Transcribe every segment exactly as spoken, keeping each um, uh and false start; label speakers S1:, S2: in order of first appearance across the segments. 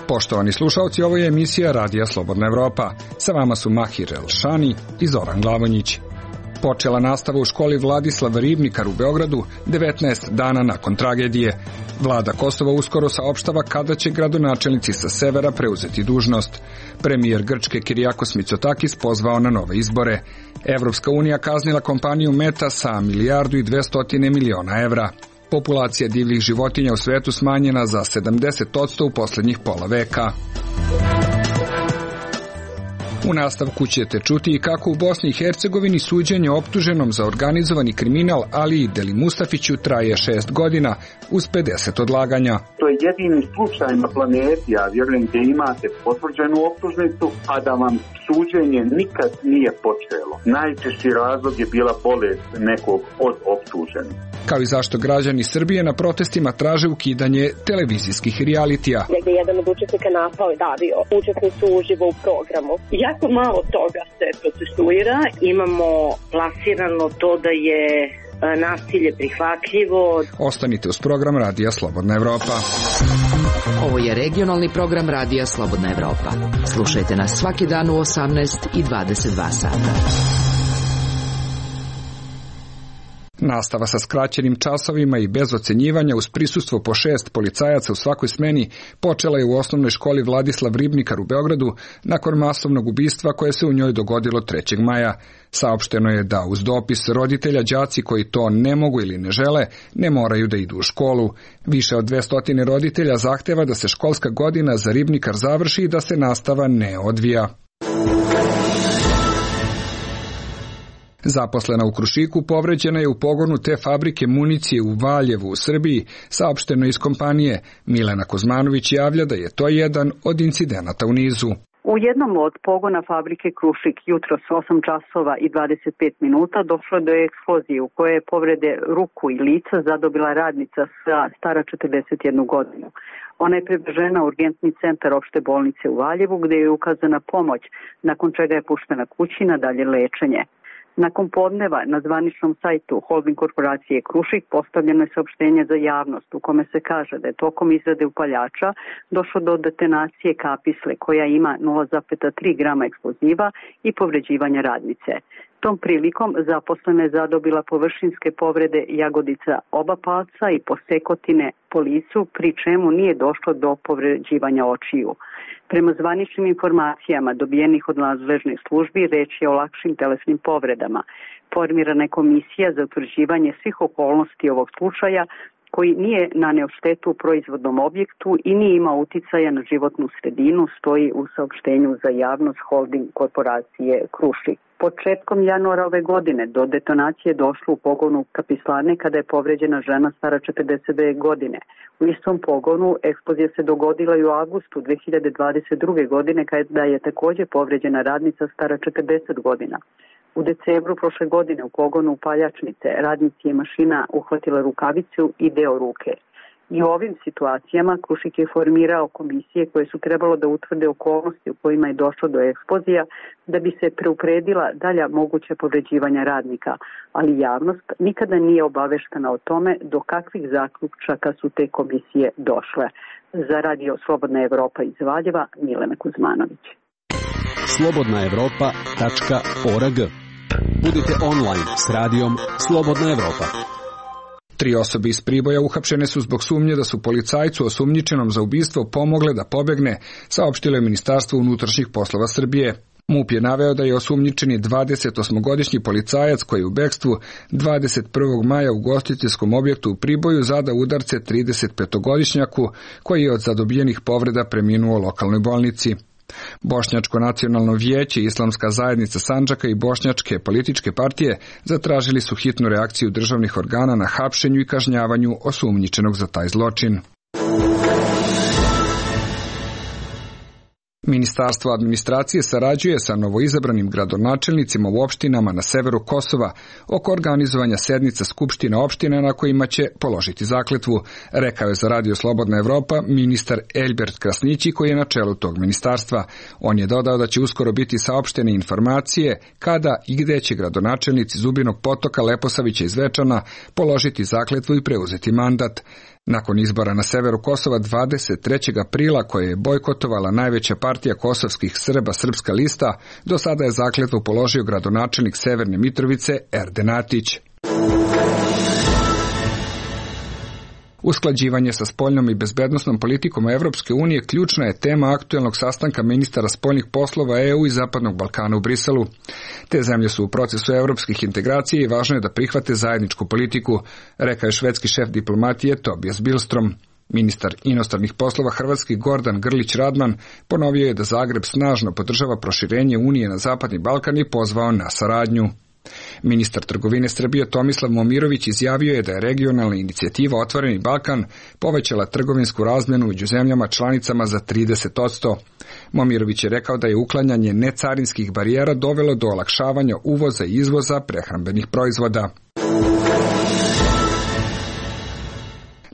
S1: Poštovani slušalci, ovo je emisija Radija Slobodna Evropa. Sa vama su Mahir Elšani i Zoran Glavonjić. Počela nastava u školi Vladislava Ribnikar u Beogradu devetnaest dana nakon tragedije. Vlada Kosova uskoro saopštava kada će gradonačelnici sa severa preuzeti dužnost. Premijer Grčke Kirijakos Mitsotakis pozvao na nove izbore. Evropska unija kaznila kompaniju Meta sa milijardu i dvestotine miliona evra. Populacija divljih životinja u svetu smanjena za sedamdeset posto u posljednjih pola veka. U nastavku ćete čuti i kako u Bosni i Hercegovini suđenje optuženom za organizovani kriminal Aliji Deli Mustafiću traje šest godina uz pedeset odlaganja.
S2: To je jedini slučaj na planeti, ja vjerujem, gdje imate potvrđenu optužnicu, a da vam suđenje nikad nije počelo. Najčešći razlog je bila bolest nekog od optuženih.
S1: Kao i zašto građani Srbije na protestima traže ukidanje televizijskih realitija.
S3: Negdje jedan od učesnika napao i davio učesnicu uživo u programu. Jako malo toga se procesuira. Imamo plasirano to da je nasilje prihvatljivo.
S1: Ostanite uz program Radija Slobodna Evropa.
S4: Ovo je regionalni program Radija Slobodna Evropa. Slušajte nas svaki dan u osamnaest i dvadeset dva sata.
S1: Nastava sa skraćenim časovima i bez ocenjivanja uz prisustvo po šest policajaca u svakoj smeni počela je u osnovnoj školi Vladislav Ribnikar u Beogradu nakon masovnog ubistva koje se u njoj dogodilo trećeg maja. Saopšteno je da uz dopis roditelja đaci koji to ne mogu ili ne žele ne moraju da idu u školu. Više od dvesta roditelja zahteva da se školska godina za Ribnikar završi i da se nastava ne odvija. Zaposlena u Krušiku povređena je u pogonu te fabrike municije u Valjevu u Srbiji, saopšteno iz kompanije. Milena Kuzmanović javlja da je to jedan od incidenata u nizu.
S5: U jednom od pogona fabrike Krušik jutros osam časova i dvadeset pet minuta došlo do eksplozije u kojoj je povrede ruku i lica zadobila radnica stara četrdeset jednu godinu. Ona je prevežena u urgentni centar opšte bolnice u Valjevu gdje je ukazana pomoć, nakon čega je puštena kući na dalje lečenje. Nakon podneva na zvaničnom sajtu holding korporacije Krušik postavljeno je saopštenje za javnost u kome se kaže da je tokom izrade upaljača došlo do detonacije kapisle koja ima nula zarez tri grama eksploziva i povređivanja radnice. Tom prilikom zaposlena je zadobila površinske povrede jagodica oba palca i posekotine po licu, pri čemu nije došlo do povređivanja očiju. Prema zvaničnim informacijama dobijenih od nadležnih službi, reč je o lakšim telesnim povredama. Formirana je komisija za utvrđivanje svih okolnosti ovog slučaja koji nije naneo štetu u proizvodnom objektu i nije imao uticaja na životnu sredinu, stoji u saopštenju za javnost holding korporacije Krušik. Početkom januara ove godine do detonacije je došlo u pogonu kapislane kada je povređena žena stara četrdeset dve godine. U istom pogonu eksplozija se dogodila i u avgustu dve hiljade dvadeset druge. godine kada je također povređena radnica stara četrdeset godina. U decembru prošle godine u pogonu upaljačnice radnici je mašina uhvatila rukavicu i deo ruke. I u ovim situacijama Krušik je formirao komisije koje su trebalo da utvrde okolnosti u kojima je došlo do eksplozija da bi se preupredila dalja moguća povređivanja radnika, ali javnost nikada nije obaveštena o tome do kakvih zaključaka su te komisije došle. Za Radio Slobodna Evropa iz Valjeva, Milena Kuzmanović.
S6: slobodna evropa tačka org. Budite online s radijom Slobodna Evropa.
S1: Tri osobe iz Priboja uhapšene su zbog sumnje da su policajcu osumnjičenom za ubistvo pomogle da pobegne, saopštilo je Ministarstvo unutrašnjih poslova Srbije. MUP je naveo da je osumnjičeni dvadesetosmogodišnji policajac koji je u bekstvu dvadeset prvog maja u ugostiteljskom objektu u Priboju zadao udarce tridesetpetogodišnjaku koji je od zadobijenih povreda preminuo u lokalnoj bolnici. Bošnjačko nacionalno vijeće, Islamska zajednica Sandžaka i bošnjačke političke partije zatražili su hitnu reakciju državnih organa na hapšenju i kažnjavanju osumnjičenog za taj zločin. Ministarstvo administracije sarađuje sa novoizabranim gradonačelnicima u opštinama na severu Kosova oko organizovanja sednica skupština opština na kojima će položiti zakletvu, rekao je za Radio Slobodna Evropa ministar Elbert Krasnići koji je na čelu tog ministarstva. On je dodao da će uskoro biti saopštene informacije kada i gde će gradonačelnici Zubinog Potoka, Leposavića i Zvečana položiti zakletvu i preuzeti mandat. Nakon izbora na severu Kosova dvadeset trećeg aprila koje je bojkotovala najveća partija kosovskih Srba Srpska lista, do sada je zakletvu položio gradonačelnik Severne Mitrovice Erden Atić. Usklađivanje sa spoljnom i bezbednosnom politikom Evropske unije ključna je tema aktuelnog sastanka ministara spoljnih poslova E U i Zapadnog Balkana u Briselu. Te zemlje su u procesu evropskih integracija i važno je da prihvate zajedničku politiku, rekao je švedski šef diplomatije Tobias Billström. Ministar inostranih poslova hrvatski Gordan Grlić Radman ponovio je da Zagreb snažno podržava proširenje Unije na Zapadni Balkan i pozvao na saradnju. Ministar trgovine Srbije Tomislav Momirović izjavio je da je regionalna inicijativa Otvoreni Balkan povećala trgovinsku razmjenu među zemljama članicama za trideset posto. Momirović je rekao da je uklanjanje necarinskih barijera dovelo do olakšavanja uvoza i izvoza prehrambenih proizvoda.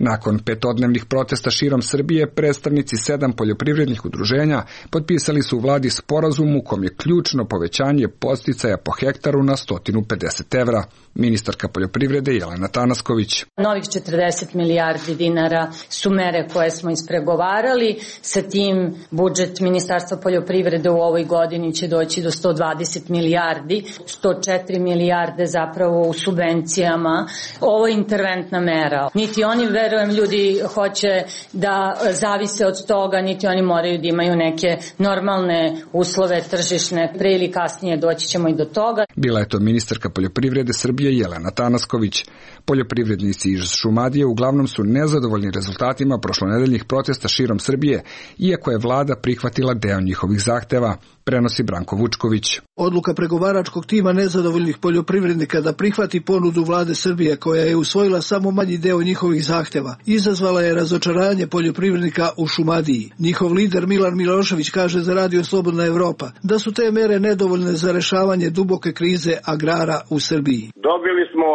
S1: Nakon petodnevnih protesta širom Srbije, predstavnici sedam poljoprivrednih udruženja potpisali su u vladi sporazum u kom je ključno povećanje podsticaja po hektaru na sto pedeset evra. Ministarka poljoprivrede Jelena Tanasković.
S7: Novih četrdeset milijardi dinara su mere koje smo ispregovarali. Sa tim budžet Ministarstva poljoprivrede u ovoj godini će doći do sto dvadeset milijardi, sto četiri milijarde zapravo u subvencijama. Ovo je interventna mera. Niti oni, verujem, ljudi hoće da zavise od toga, niti oni moraju da imaju neke normalne uslove tržišne. Pre ili kasnije doći ćemo i do toga.
S1: Bila je to ministarka poljoprivrede Srbije Jelena Tanasković. Poljoprivrednici iz Šumadije uglavnom su nezadovoljni rezultatima prošlonedeljnih protesta širom Srbije, iako je vlada prihvatila deo njihovih zahteva, prenosi Branko Vučković.
S8: Odluka pregovaračkog tima nezadovoljnih poljoprivrednika da prihvati ponudu vlade Srbije, koja je usvojila samo manji deo njihovih zahteva, izazvala je razočaranje poljoprivrednika u Šumadiji. Njihov lider Milan Milošević kaže za Radio Slobodna Evropa da su te mere nedovoljne za rešavanje duboke krize agrara u Srbiji.
S9: Dobili smo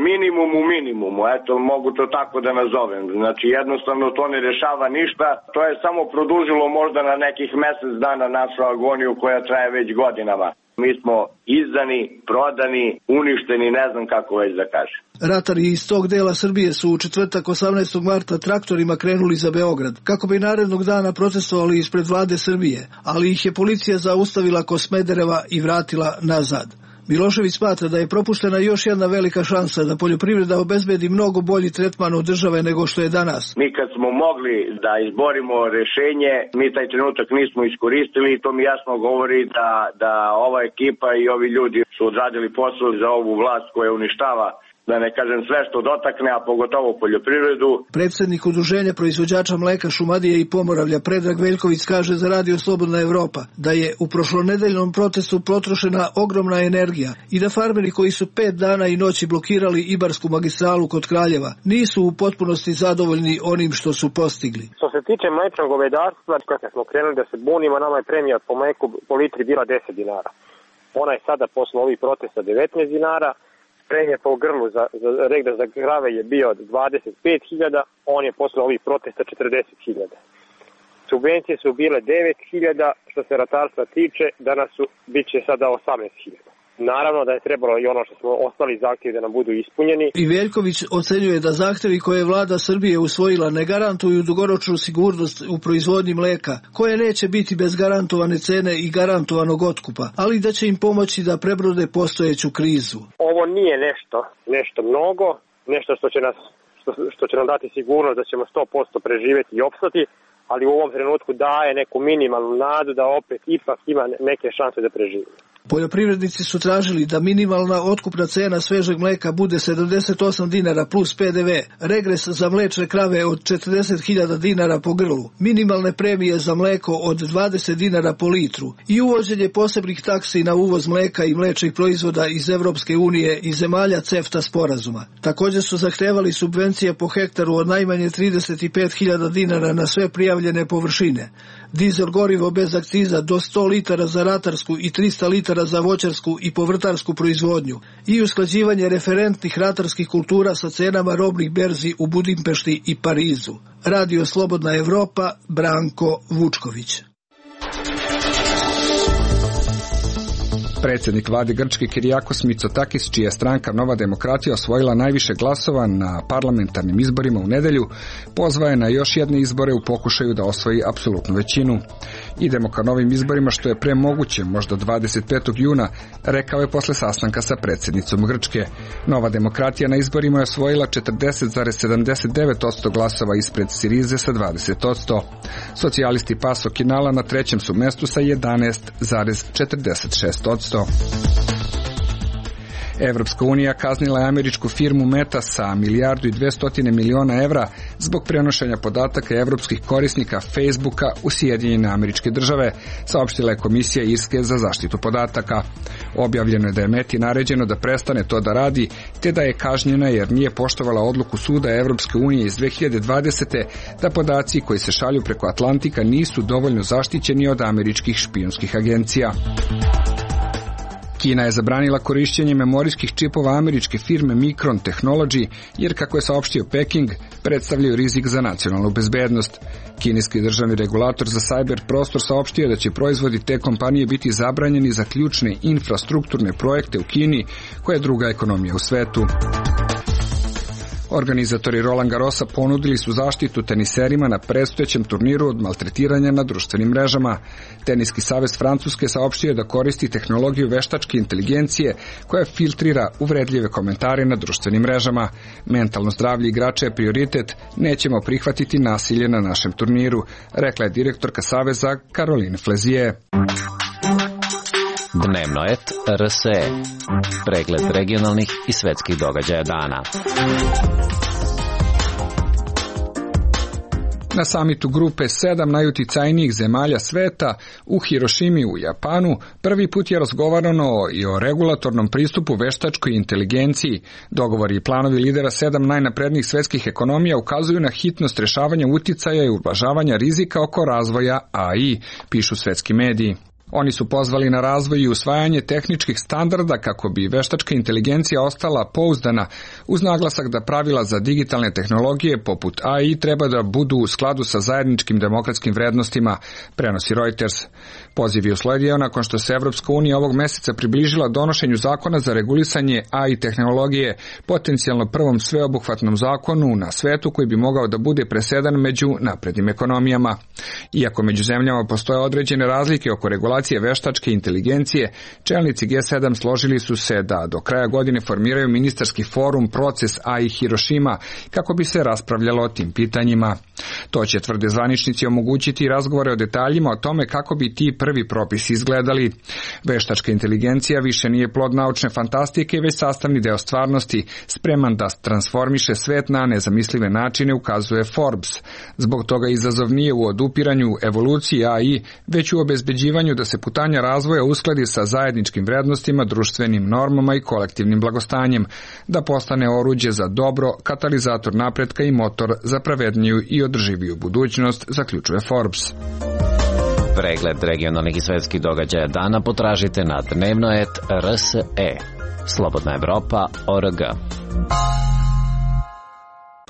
S9: minimum u minimumu, eto mogu to tako da nazovem. Znači jednostavno to ne rešava ništa, to je samo produžilo možda na nekih mesec dana našu agoniju koja traje već godinama. Mi smo izdani, prodani, uništeni, ne znam kako već da kažem.
S8: Ratari iz tog dela Srbije su u četvrtak osamnaestog marta traktorima krenuli za Beograd, kako bi narednog dana protestovali ispred vlade Srbije, ali ih je policija zaustavila kod Smedereva i vratila nazad. Milošević smatra da je propuštena još jedna velika šansa da poljoprivreda obezbedi mnogo bolji tretman od države nego što je danas.
S9: Mi kad smo mogli da izborimo rešenje, mi taj trenutak nismo iskoristili i to mi jasno govori da, da ova ekipa i ovi ljudi su odradili posao za ovu vlast koja uništava, da ne kažem sve što dotakne, a pogotovo poljoprivredu.
S8: Predsednik udruženja proizvođača mleka Šumadije i Pomoravlja Predrag Veljković kaže za Radio Slobodna Evropa da je u prošlonedeljnom protestu potrošena ogromna energija i da farmeri koji su pet dana i noći blokirali Ibarsku magistralu kod Kraljeva nisu u potpunosti zadovoljni onim što su postigli.
S10: Što se tiče mlečnog govedarstva, kad smo krenuli da se bunimo, nama je premija po mleku po litri bila deset dinara. Ona je sada posle ovih protesta devetnaest dinara. Premija po grlu za, za regda za krave je bio dvadeset pet hiljada, on je posle ovih protesta četrdeset hiljada. Subvencije su bile devet hiljada, što se ratarstva tiče, danas su, bit će sada osamnaest hiljada. Naravno da je trebalo i ono što smo ostali zahtjevi da nam budu ispunjeni.
S8: I Veljković ocenjuje da zahtevi koje je vlada Srbije usvojila ne garantuju dugoročnu sigurnost u proizvodnji mleka, koje neće biti bez garantovane cene i garantovanog otkupa, ali da će im pomoći da prebrode postojeću krizu.
S10: Ovo nije nešto, nešto mnogo, nešto što će nas, što, što će nam dati sigurnost da ćemo sto posto preživjeti i opstati, ali u ovom trenutku daje neku minimalnu nadu da opet ipak ima neke šanse da preživimo.
S8: Poljoprivrednici su tražili da minimalna otkupna cena svežeg mleka bude sedamdeset osam dinara plus pe de ve, regres za mlečne krave od četrdeset hiljada dinara po grlu, minimalne premije za mleko od dvadeset dinara po litru i uvođenje posebnih taksi na uvoz mleka i mlečnih proizvoda iz Evropske unije i zemalja CEFTA sporazuma. Također su zahtevali subvencije po hektaru od najmanje trideset pet hiljada dinara na sve prijavljene površine, dizel gorivo bez akciza do sto litara za ratarsku i trista litara za voćarsku i povrtarsku proizvodnju i usklađivanje referentnih ratarskih kultura sa cenama robnih berzi u Budimpešti i Parizu. Radio Slobodna Evropa, Branko Vučković.
S1: Predsjednik vlade Grčke Kirijakos Mitsotakis, čija je stranka Nova demokratija osvojila najviše glasova na parlamentarnim izborima u nedelju, pozvao je na još jedne izbore u pokušaju da osvoji apsolutnu većinu. Idemo ka novim izborima što je pre moguće, možda dvadeset petog juna, rekao je posle sastanka sa predsjednicom Grčke. Nova demokratija na izborima je osvojila četrdeset zarez sedamdeset devet posto glasova ispred Sirize sa dvadeset posto. Socijalisti Paso Kinala na trećem su mestu sa jedanaest zarez četrdeset šest posto. Evropska unija kaznila je američku firmu Meta sa milijardu i dvesta miliona evra zbog prenošenja podataka evropskih korisnika Facebooka u Sjedinjene Američke Države, saopštila je Komisija Irske za zaštitu podataka. Objavljeno je da je Meti naređeno da prestane to da radi, te da je kažnjena jer nije poštovala odluku Suda Evropske unije iz dve hiljade dvadesete da podaci koji se šalju preko Atlantika nisu dovoljno zaštićeni od američkih špijunskih agencija. Kina je zabranila korišćenje memorijskih čipova američke firme Micron Technology, jer, kako je saopštio Peking, predstavljaju rizik za nacionalnu bezbednost. Kineski državni regulator za cyber prostor saopštio da će proizvodi te kompanije biti zabranjeni za ključne infrastrukturne projekte u Kini, koja je druga ekonomija u svetu. Organizatori Roland Garrosa ponudili su zaštitu teniserima na predstojećem turniru od maltretiranja na društvenim mrežama. Teniski savez Francuske saopštio da koristi tehnologiju veštačke inteligencije koja filtrira uvredljive komentare na društvenim mrežama. Mentalno zdravlje igrača je prioritet, nećemo prihvatiti nasilje na našem turniru, rekla je direktorka saveza Caroline Flezier.
S11: Dnevno et R S E. Pregled regionalnih i svetskih događaja dana.
S1: Na samitu grupe sedam najuticajnijih zemalja sveta u Hirošimi u Japanu prvi put je razgovarano i o regulatornom pristupu veštačkoj inteligenciji. Dogovori i planovi lidera sedam najnaprednijih svetskih ekonomija ukazuju na hitnost rešavanja uticaja i ublažavanja rizika oko razvoja A I, pišu svetski mediji. Oni su pozvali na razvoj i usvajanje tehničkih standarda kako bi veštačka inteligencija ostala pouzdana, uz naglasak da pravila za digitalne tehnologije poput A I treba da budu u skladu sa zajedničkim demokratskim vrednostima, prenosi Reuters. Poziv je usledio nakon što se Evropska unija ovog meseca približila donošenju zakona za regulisanje A I tehnologije, potencijalno prvom sveobuhvatnom zakonu na svetu koji bi mogao da bude presedan među naprednim ekonomijama. Iako među zemljama postoje određene razlike oko regulacije veštačke inteligencije, čelnici G sedam složili su se da do kraja godine formiraju ministarski forum Proces A I Hirošima kako bi se raspravljalo o tim pitanjima. To će, tvrde zvaničnici, omogućiti razgovore o detaljima o tome kako bi ti prvi propisi izgledali. Veštačka inteligencija više nije plod naučne fantastike, već sastavni deo stvarnosti, spreman da transformiše svet na nezamislive načine, ukazuje Forbes. Zbog toga izazov nije u odupiranju evoluciji A I, već u obezbeđivanju da se putanja razvoja uskladi sa zajedničkim vrednostima, društvenim normama i kolektivnim blagostanjem, da postane oruđe za dobro, katalizator napretka i motor za pravedniju i održiviju budućnost, zaključuje Forbes.
S11: Pregled regionalnih i svetskih događaja dana potražite na dnevno et R S E. Slobodna Evropa, O R G.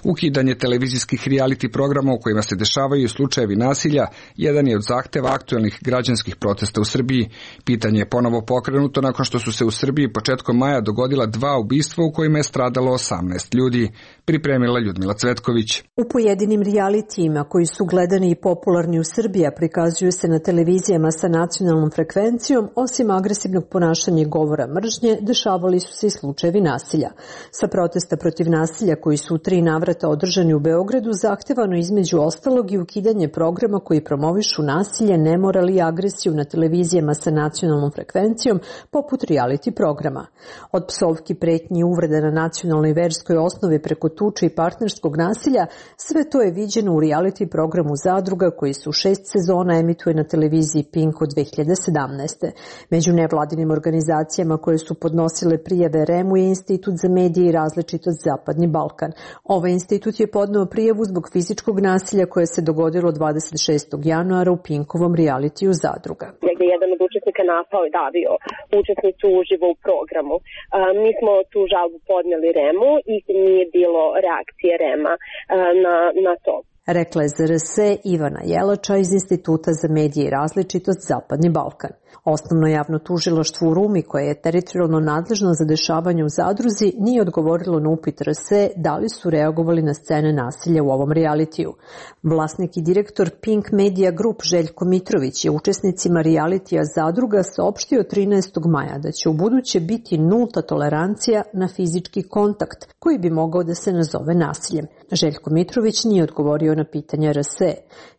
S1: Ukidanje televizijskih reality programa u kojima se dešavaju slučajevi nasilja jedan je od zahteva aktuelnih građanskih protesta u Srbiji. Pitanje je ponovo pokrenuto nakon što su se u Srbiji početkom maja dogodila dva ubistva u kojima je stradalo osamnaest ljudi. Pripremila Ljudmila Cvetković.
S12: U pojedinim realitijima koji su gledani i popularni u Srbiji, prikazuju se na televizijama sa nacionalnom frekvencijom, osim agresivnog ponašanja i govora mržnje, dešavali su se i slučajevi nasilja. Sa protesta protiv nasilja koji su u tri navrata navrata održani u Beogradu zahtevano između ostalog i ukidanje programa koji promovišu nasilje, nemoral i agresiju na televizijama sa nacionalnom frekvencijom, poput reality programa. Od psovki, pretnji i uvreda na nacionalnoj i verskoj osnovi preko tuče i partnerskog nasilja, sve to je viđeno u reality programu Zadruga koji se u šest sezona emituje na televiziji Pink od dve hiljade sedamnaeste. Među nevladinim organizacijama koje su podnosile prijave R E M-u je Institut za medije i različitost Zapadni Balkan. Ovaj institut je podneo prijavu zbog fizičkog nasilja koje se dogodilo dvadeset šestog januara u Pinkovom realitiju Zadruga.
S3: Negde jedan od učesnika napao i davio učesnicu uživo u programu. A, mi smo tu žalbu podneli R E M-u i nije bilo reakcije R E M-a na, na to.
S12: Rekla je Z R S Ivana Jelača iz Instituta za medije i različitost Zapadni Balkan. Osnovno javno tužilaštvo u Rumi, koje je teritorijalno nadležno za dešavanje u Zadruzi, nije odgovorilo na upit R S da li su reagovali na scene nasilja u ovom realitiju. Vlasnik i direktor Pink Media Group Željko Mitrović je učesnicima realitija Zadruga saopštio trinaestog maja da će u buduće biti nulta tolerancija na fizički kontakt, koji bi mogao da se nazove nasiljem. Željko Mitrović nije odgovorio na pitanje R S.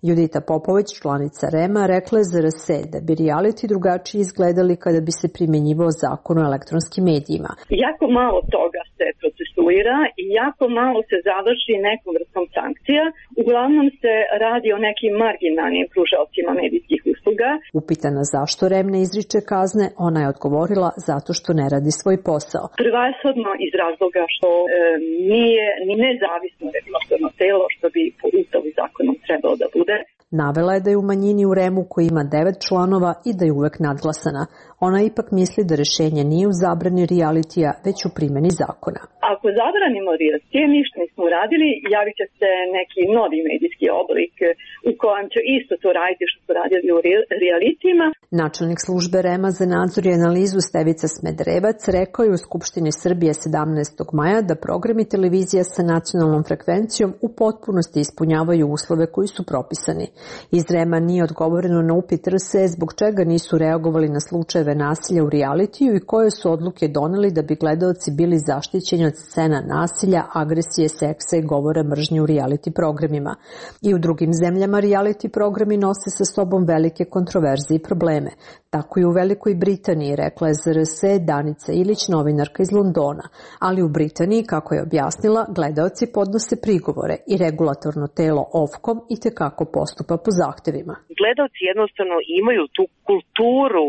S12: Judita Popović, članica R E M-a, rekla je za R S da bi reality drugačije izgledali kada bi se primjenjivao zakon o elektronskim medijima.
S3: Jako malo toga se procesuira i jako malo se završi nekom vrstom sankcija. Uglavnom se radi o nekim marginalnim pružaocima medijskih usluga.
S12: Upitana zašto R E M ne izriče kazne, ona je odgovorila zato što ne radi svoj posao.
S3: Prvenstveno iz razloga što e, nije ni nezavisno regulatorno telo što bi po Ustavu i zakonom trebalo da bude.
S12: Navela je da je u manjini u R E M-u koji ima devet članova i da je uvek nadglasana. Ona ipak misli da rešenje nije u zabrani realitija, već u primjeni zakona.
S3: Ako zabranimo realitije, ništa nismo uradili, javit će se neki novi medijski oblik u kojem će isto to raditi što su radili u realitijima.
S12: Načelnik službe R E M-a za nadzor i analizu Stevica Smederevac rekao je u Skupštini Srbije sedamnaestog maja da programi televizija sa nacionalnom frekvencijom u potpunosti ispunjavaju uslove koji su propisani. Iz R E M-a nije odgovoreno na upit R S zbog čega nisu reagovali na slučajeve nasilja u realitiju i koje su odluke doneli da bi gledaoci bili zaštićeni od scena nasilja, agresije, seksa i govora mržnje u reality programima. I u drugim zemljama reality programi nose sa sobom velike kontroverze i probleme. Tako i u Velikoj Britaniji, rekla je Z R S Danica Ilić, novinarka iz Londona. Ali u Britaniji, kako je objasnila, gledaoci podnose prigovore i regulatorno telo Ofcom i tekako postupa po zahtevima.
S13: Gledaoci jednostavno imaju tu kulturu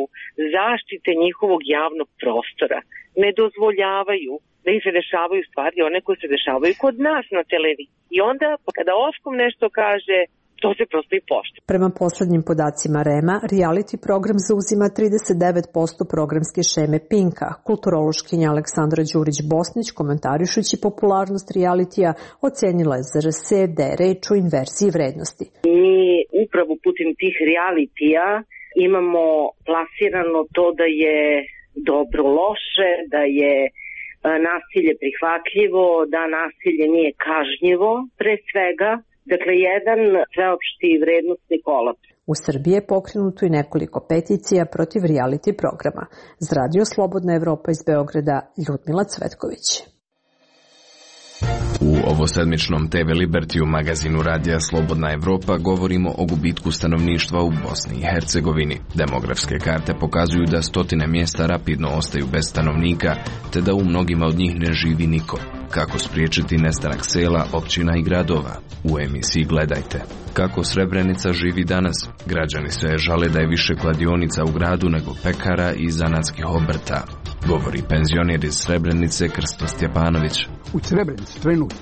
S13: zaštite njihovog javnog prostora. Ne dozvoljavaju da im se dešavaju stvari, one koje se dešavaju kod nas na televiziji. I onda, kada Ofcom nešto kaže, to se prosto i poštuje.
S12: Prema poslednjim podacima R E M-a, reality program zauzima trideset devet posto programske šeme Pinka. Kulturološkinja Aleksandra Đurić-Bosnić, komentarišući popularnost realitija, ocenila je Z R S da je reč o inverziji vrednosti.
S3: Mi upravo putem tih realitija imamo plasirano to da je dobro loše, da je nasilje prihvatljivo, da nasilje nije kažnjivo, pre svega. Dakle, jedan sveopšti vrednostni kolaps.
S12: U Srbiji je pokrenuto i nekoliko peticija protiv reality programa. Za Radio Slobodna Evropa iz Beograda, Ljudmila Cvetković.
S14: U ovosedmičnom T V Libertiju magazinu Radija Slobodna Evropa govorimo o gubitku stanovništva u Bosni i Hercegovini. Demografske karte pokazuju da stotine mjesta rapidno ostaju bez stanovnika, te da u mnogima od njih ne živi niko. Kako spriječiti nestanak sela, općina i gradova? U emisiji Gledajte. Kako Srebrenica živi danas? Građani se žale da je više kladionica u gradu nego pekara i zanatskih obrta. Govori penzioner iz Srebrenice Krsto Stjepanović.
S15: U Srebrenici trenutno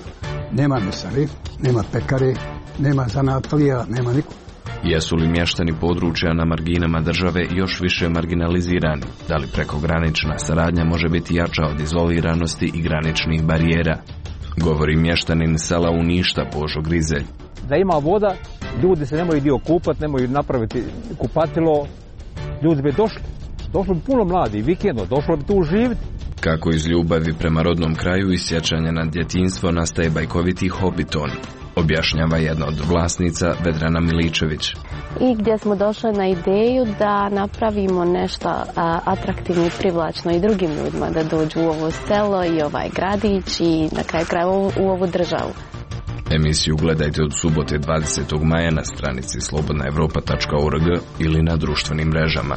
S15: nema mesare, nema pekare, nema zanatlija, nema niko.
S14: Jesu li mještani područja na marginama države još više marginalizirani? Da li prekogranična saradnja može biti jača od izoliranosti i graničnih barijera? Govori mještanin sela Uništa Božo Grizelj.
S16: Da ima voda, ljudi se nemaju dio kupati, nemaju napraviti kupatilo, ljudi bi došli. Došlo bi puno mladi, vikendno, došlo bi tu živjeti.
S14: Kako iz ljubavi prema rodnom kraju i sjećanja na djetinjstvo nastaje bajkoviti Hobbiton, objašnjava jedna od vlasnica Vedrana Miličević.
S17: I gdje smo došli na ideju da napravimo nešto a, atraktivno i privlačno i drugim ljudima da dođu u ovo selo i ovaj gradić i na kraju krajeva u, u ovu državu.
S14: Emisiju gledajte od subote dvadesetog maja na stranici slobodna evropa tačka org ili na društvenim mrežama.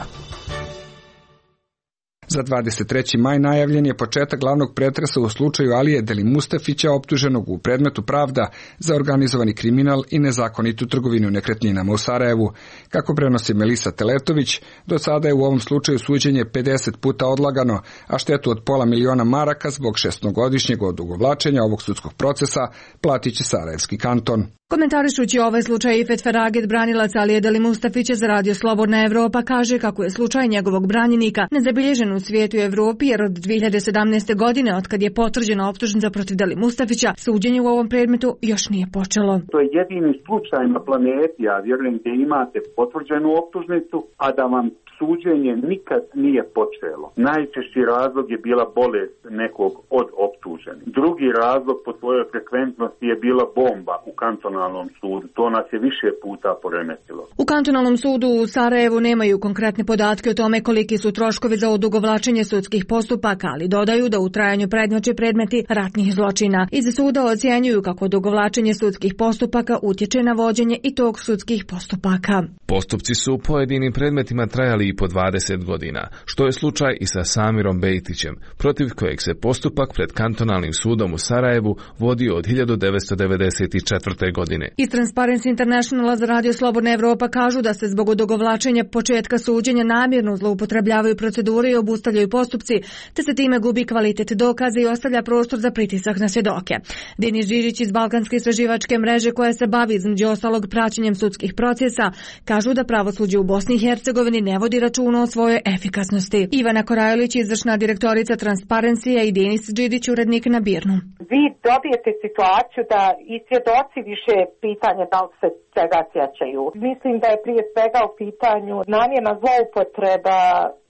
S1: Za dvadeset treći maj najavljen je početak glavnog pretresa u slučaju Alije Delimustafića, optuženog u predmetu Pravda za organizovani kriminal i nezakonitu trgovinu nekretninama u Sarajevu. Kako prenosi Melisa Teletović, do sada je u ovom slučaju suđenje pedeset puta odlagano, a štetu od pola miliona maraka zbog šestogodišnjeg odugovlačenja ovog sudskog procesa platit će Sarajevski kanton.
S18: Komentarišući ovaj slučaj, Ifet Feraget, branilac Alije Delimustafića za Radio Slobodna Evropa, kaže kako je slučaj njegovog branjenika nezabilježen u svijetu i Evropi, jer od dvije hiljade sedamnaeste. godine, otkad je potvrđena optužnica protiv Delimustafića, suđenje u ovom predmetu još nije počelo.
S2: To je jedini slučaj na planeti, ja vjerujem, gdje imate potvrđenu optužnicu, a da vam suđenje nikad nije počelo. Najčešći razlog je bila bolest nekog od optuženih. Drugi razlog po svojoj frekventnosti je bila bomba u kantonalnom sudu. To nas je više puta poremetilo.
S18: U kantonalnom sudu u Sarajevu nemaju konkretne podatke o tome koliki su troškovi za odugovlačenje sudskih postupaka, ali dodaju da u trajanju prednjače predmeti ratnih zločina. Iz suda ocjenjuju kako odugovlačenje sudskih postupaka utječe na vođenje i tog sudskih postupaka.
S14: Postupci su u pojedinim predmetima trajali i po dvadeset godina, što je slučaj i sa Samirom Bejtićem, protiv kojeg se postupak pred kantonalnim sudom u Sarajevu vodio od hiljadu devetsto devedeset četvrte. godine.
S18: Iz Transparency Internationala za Radio Slobodna Evropa kažu da se zbog odugovlačenja početka suđenja namjerno zloupotrebljavaju procedure i obustavljaju postupci, te se time gubi kvalitet dokaza i ostavlja prostor za pritisak na svjedoke. Denis Žižić iz Balkanske istraživačke mreže, koja se bavi između ostalog praćenjem sudskih procesa, kažu da pravosuđe u Bosni i Hercegovini ne vodi računa o svojoj efikasnosti. Ivana Korajolić, izvršna direktorica Transparencija, i Denis Žižić, urednik na Birnu.
S19: Vi dobijete situaciju da i svjedoci više pitanje da li se čega sjećaju. Mislim da je prije svega u pitanju namjerna zloupotreba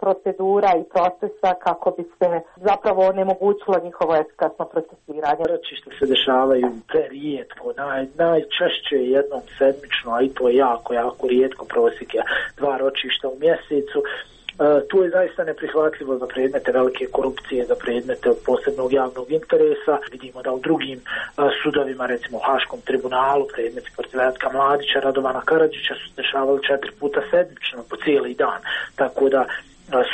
S19: procedura i procesa kako bi se zapravo onemogućilo njihovo efikasno procesiranje.
S20: Ročišta se dešavaju prerijetko, naj, najčešće jednom sedmično, a i to je jako, jako rijetko, prosjek je dva ročišta u mjesecu. Uh, tu je zaista neprihvatljivo za predmete velike korupcije, za predmete od posebnog javnog interesa. Vidimo da u drugim uh, sudovima, recimo u Haškom tribunalu, predmeti protiv Ratka Mladića, Radovana Karadžića su se dešavali četiri puta sedmično po cijeli dan. Tako da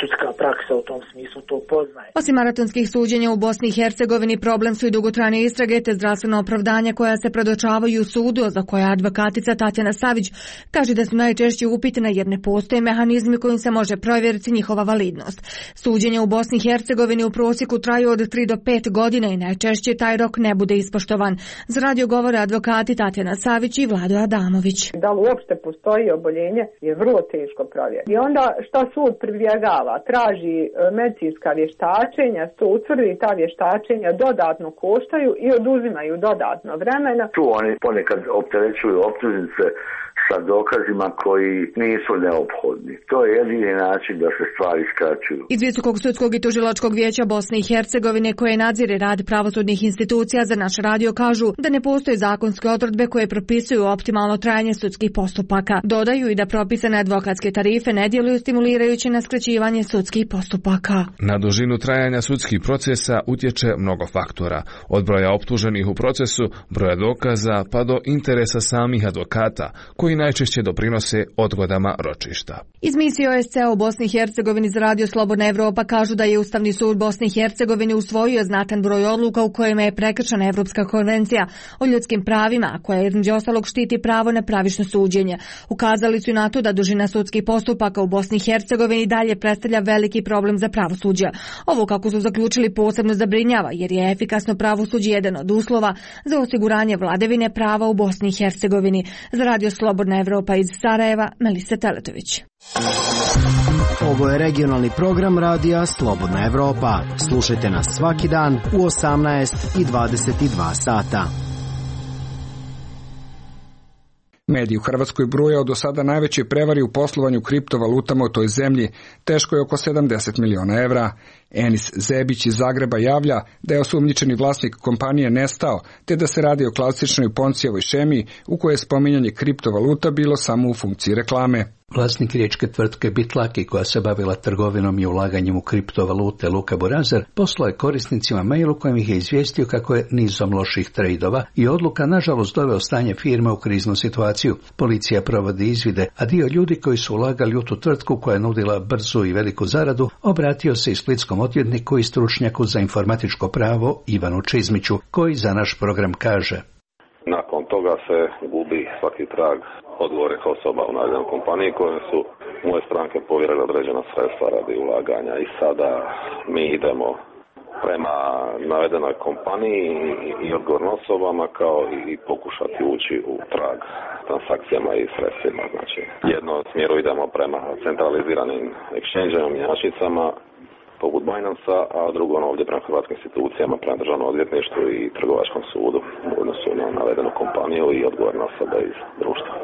S20: sudska praksa u tom smislu to poznaje.
S18: Osim maratonskih suđenja u Bosni i Hercegovini, problem su i dugotrajne istrage te zdravstveno opravdanja koja se predočavaju u sudu, za koja advokatica Tatjana Savić kaže da su najčešće upitna jer ne postoje mehanizmi kojim se može provjeriti njihova validnost. Suđenja u Bosni i Hercegovini u prosjeku traju od tri do pet godina i najčešće taj rok ne bude ispoštovan. Za radio govore advokati Tatjana Savić i Vlado Adamović.
S21: Da li uopšte postoji oboljenje je vrlo teško provjeriti. I onda šta sud pribjegava? Traži medicinska vještačenja, se utvrdi ta vještačenja dodatno koštaju i oduzimaju dodatno vremena.
S22: Tu oni ponekad opterećuju optužnice sa dokazima koji nisu neophodni. To je jedini način da se stvari skraćuju.
S18: Iz Visokog sudskog i tužilačkog vijeća Bosne i Hercegovine, koje nadzire rad pravosudnih institucija, za naš radio kažu da ne postoje zakonske odredbe koje propisuju optimalno trajanje sudskih postupaka. Dodaju i da propisane advokatske tarife ne djeluju stimulirajući na skraćivanje sudskih postupaka.
S14: Na dužinu trajanja sudskih procesa utječe mnogo faktora, od broja optuženih u procesu, broja dokaza, pa do interesa samih advokata, koji najčešće doprinose odgodama ročišta.
S18: Iz misije O S C a u Bosni i Hercegovini za Radio Slobodna Evropa kažu da je Ustavni sud Bosne i Hercegovine usvojio znatan broj odluka u kojima je prekršena Evropska konvencija o ljudskim pravima, koja između ostalog štiti pravo na pravično suđenje. Ukazali su na to da dužina sudskih postupaka u Bosni i Hercegovini dalje predstavlja veliki problem za pravosuđe. Ovo, kako su zaključili, posebno zabrinjava, jer je efikasno pravosuđe jedan od uslova za osiguranje vladavine prava u Bosni i Hercegovini. Za Radio Slobodna Evropa iz Sarajeva, Melisa Teletović.
S23: Ovo je regionalni program Radija Slobodna Evropa. Slušajte nas svaki dan u osamnaest i dvadeset dva sata.
S1: Mediji u Hrvatskoj bruje o do sada najvećoj prevari u poslovanju kriptovalutama u toj zemlji, teško je oko sedamdeset miliona evra. Enis Zebić iz Zagreba javlja da je osumnjičeni vlasnik kompanije nestao, te da se radi o klasičnoj Poncijevoj šemi u kojoj je spominjanje kriptovaluta bilo samo u funkciji reklame.
S4: Vlasnik riječke tvrtke Bitlaki, koja se bavila trgovinom i ulaganjem u kriptovalute, Luka Borazer, poslao je korisnicima mail u kojem ih je izvijestio kako je nizom loših trejdova i odluka nažalost doveo stanje firme u kriznu situaciju. Policija provodi izvide, a dio ljudi koji su ulagali u tu tvrtku koja je nudila brzu i veliku zaradu obratio se i splitskom odvjetniku i stručnjaku za informatičko pravo Ivanu Čizmiću, koji za naš program kaže:
S5: Nakon toga se gubi svaki trag odgovornih osoba u navedenoj kompaniji koje su moje stranke povjerile određena sredstva radi ulaganja i sada mi idemo prema navedenoj kompaniji i odgovornim osobama kao i pokušati ući u trag transakcijama i sredstvima. Znači, jedno smjeru idemo prema centraliziranim exchange-om, mjenjačnicama poput Binance-a, a drugo ono ovdje prema hrvatskim institucijama, prema državnom odvjetništvu i trgovačkom sudu u odnosu na navedenu kompaniju i odgovorne osobe iz društva.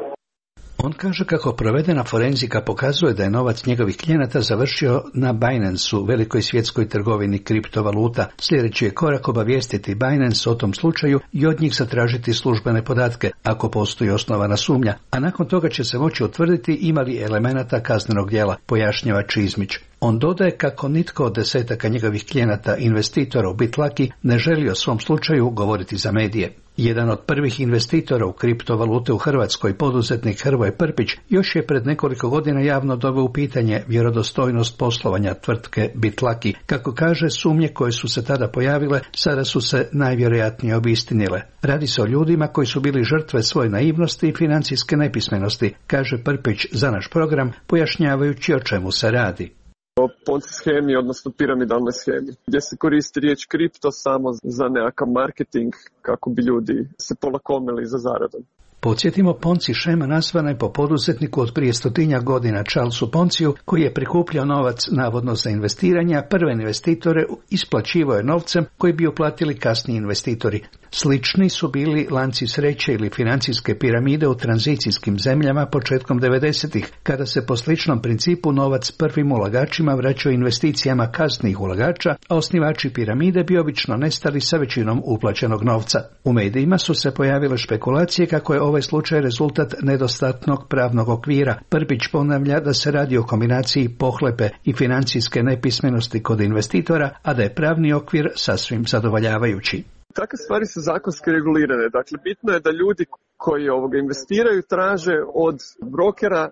S4: On kaže kako provedena forenzika pokazuje da je novac njegovih klijenata završio na Binance-u, velikoj svjetskoj trgovini kriptovaluta. Sljedeći je korak obavijestiti Binance o tom slučaju i od njih zatražiti službene podatke, ako postoji osnovana sumnja, a nakon toga će se moći utvrditi ima li elemenata kaznenog djela, pojašnjava Čizmić. On dodaje kako nitko od desetaka njegovih klijenata investitora u Bitlaki ne želi o svom slučaju govoriti za medije. Jedan od prvih investitora u kriptovalute u Hrvatskoj, poduzetnik Hrvoje Prpić, još je pred nekoliko godina javno doveo u pitanje vjerodostojnost poslovanja tvrtke Bitlaki. Kako kaže, sumnje koje su se tada pojavile sada su se najvjerojatnije obistinile. Radi se o ljudima koji su bili žrtve svoje naivnosti i financijske nepismenosti, kaže Prpić za naš program, pojašnjavajući o čemu se radi.
S6: O Ponzi shemi, odnosno piramidalnoj shemi, gdje se koristi riječ kripto samo za nekakav marketing kako bi ljudi se polakomili za zaradom.
S4: Podsjetimo, Ponzi shema nazvana je po poduzetniku od prije stotinja godina Charlesu Ponciju, koji je prikupljao novac navodno za investiranje, a prve investitore isplaćivao je novcem koji bi uplatili kasniji investitori. Slični su bili lanci sreće ili financijske piramide u tranzicijskim zemljama početkom devedesetih, kada se po sličnom principu novac prvim ulagačima vraćao investicijama kasnijih ulagača, a osnivači piramide bi obično nestali sa većinom uplaćenog novca. U medijima su se pojavile špekulacije kako je ovaj slučaj rezultat nedostatnog pravnog okvira. Prpić ponavlja da se radi o kombinaciji pohlepe i financijske nepismenosti kod investitora, a da je pravni okvir sasvim zadovoljavajući.
S6: Takve stvari su zakonski regulirane. Dakle, bitno je da ljudi koji ovoga investiraju traže od brokera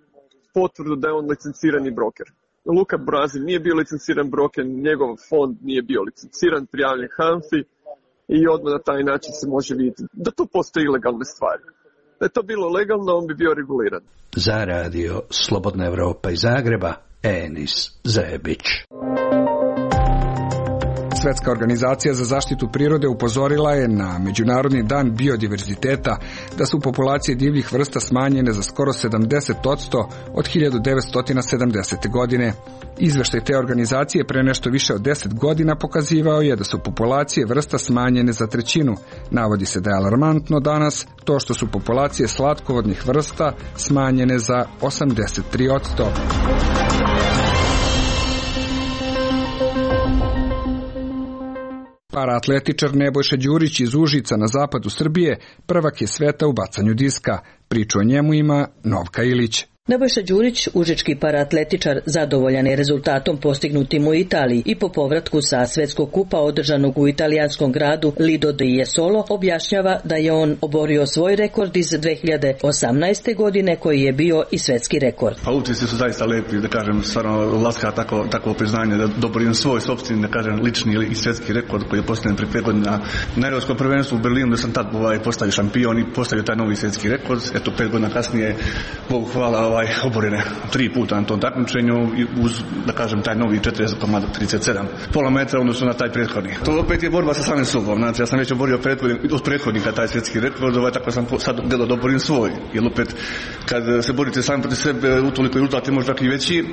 S6: potvrdu da je on licencirani broker. Luka Borazer nije bio licenciran broker, njegov fond nije bio licenciran, prijavljen HANFI i odmah na taj način se može vidjeti da to postoje ilegalne stvari. Da je to bilo legalno, on bi bio reguliran.
S4: Za radio Slobodna Evropa iz Zagreba, Enis Zebić.
S1: Svetska organizacija za zaštitu prirode upozorila je na Međunarodni dan biodiverziteta da su populacije divljih vrsta smanjene za skoro sedamdeset posto od hiljadu devetsto sedamdesete. godine. Izveštaj te organizacije pre nešto više od deset godina pokazivao je da su populacije vrsta smanjene za trećinu. Navodi se da je alarmantno danas to što su populacije slatkovodnih vrsta smanjene za osamdeset tri posto. Paraatletičar Nebojša Đurić iz Užica na zapadu Srbije prvak je sveta u bacanju diska. Priču o njemu ima Novka Ilić.
S24: Nebojša Đurić, užički paraatletičar, zadovoljan je rezultatom postignutim u Italiji i po povratku sa svetskog kupa održanog u italijanskom gradu Lido di Jesolo objašnjava da je on oborio svoj rekord iz dve hiljade osamnaeste. godine koji je bio i svetski rekord.
S25: Pa utisci su zaista lepi, da kažem, stvarno laska tako, tako priznanje da doborim svoj sopstveni, da kažem, lični ili svetski rekord koji je postavljen pre pet godina na Europskom prvenstvu u Berlinu, da sam tad ovaj, postavio šampion i postavio taj novi svetski rekord. Eto, pet godina kasnije, Bogu hvala, ovaj, oborene tri puta na tom takmičenju i uz, da kažem, taj novi četrdeset zarez trideset sedam pola metra odnosno na taj prethodni. To opet je borba sa samim sobom. Znači, ja sam već oborio od prethodnika taj svjetski rekord, ovaj, tako sam sad gledao da oborim svoj. Jer opet, kad se borite sami protiv sebe, utoliko rezultat je možda i veći,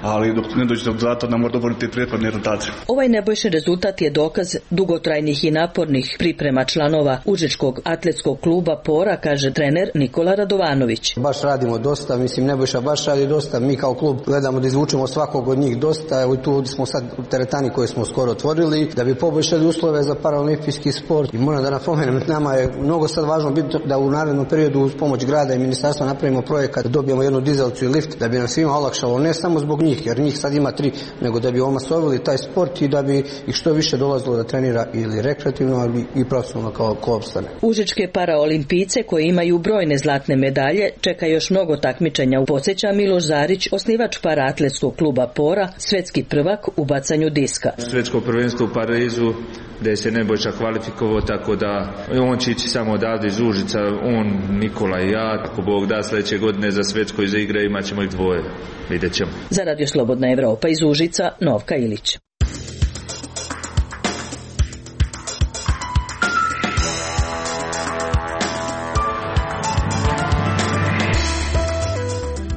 S25: ali dok ne dođete do rezultata, onda morate oboriti prethodne rezultate.
S24: Ovaj nebojšen rezultat je dokaz dugotrajnih i napornih priprema članova Užičkog atletskog kluba Pora, kaže trener Nikola Radovanović.
S26: Baš radimo dosta, mislim,
S7: Nebojša baš radi dosta, mi kao klub gledamo da izvučemo svakog od njih dosta, evo tu smo sad u teretani koje smo skoro otvorili, da bi poboljšali uslove za paraolimpijski sport. I moram da napomenem, nama je mnogo sad važno biti da u narednom periodu uz pomoć grada i ministarstva napravimo projekat, da dobijemo jednu dizelcu i lift, da bi nam svima olakšalo, ne samo zbog njih, jer njih sad ima tri, nego da bi omasovili taj sport i da bi ih što više dolazilo da trenira ili rekreativno, ali i profesionalno kao ko opstane.
S24: Užičke paraolimpijce koji imaju brojne zlatne medalje čeka još mnogo takmičenja. Podsjeća Miloš Zarić, osnivač paraatletskog kluba Pora, svetski prvak u bacanju diska.
S8: Svetsko prvenstvo u Parizu gdje se Nebojša kvalifikovao, tako da on će ići samo odavde iz Užica, on, Nikola i ja. Ako Bog da, sljedeće godine za svetsko iza igre imat ćemo ih dvoje. Vidjet ćemo.
S24: Za Radio Slobodna Evropa iz Užica, Novka Ilić.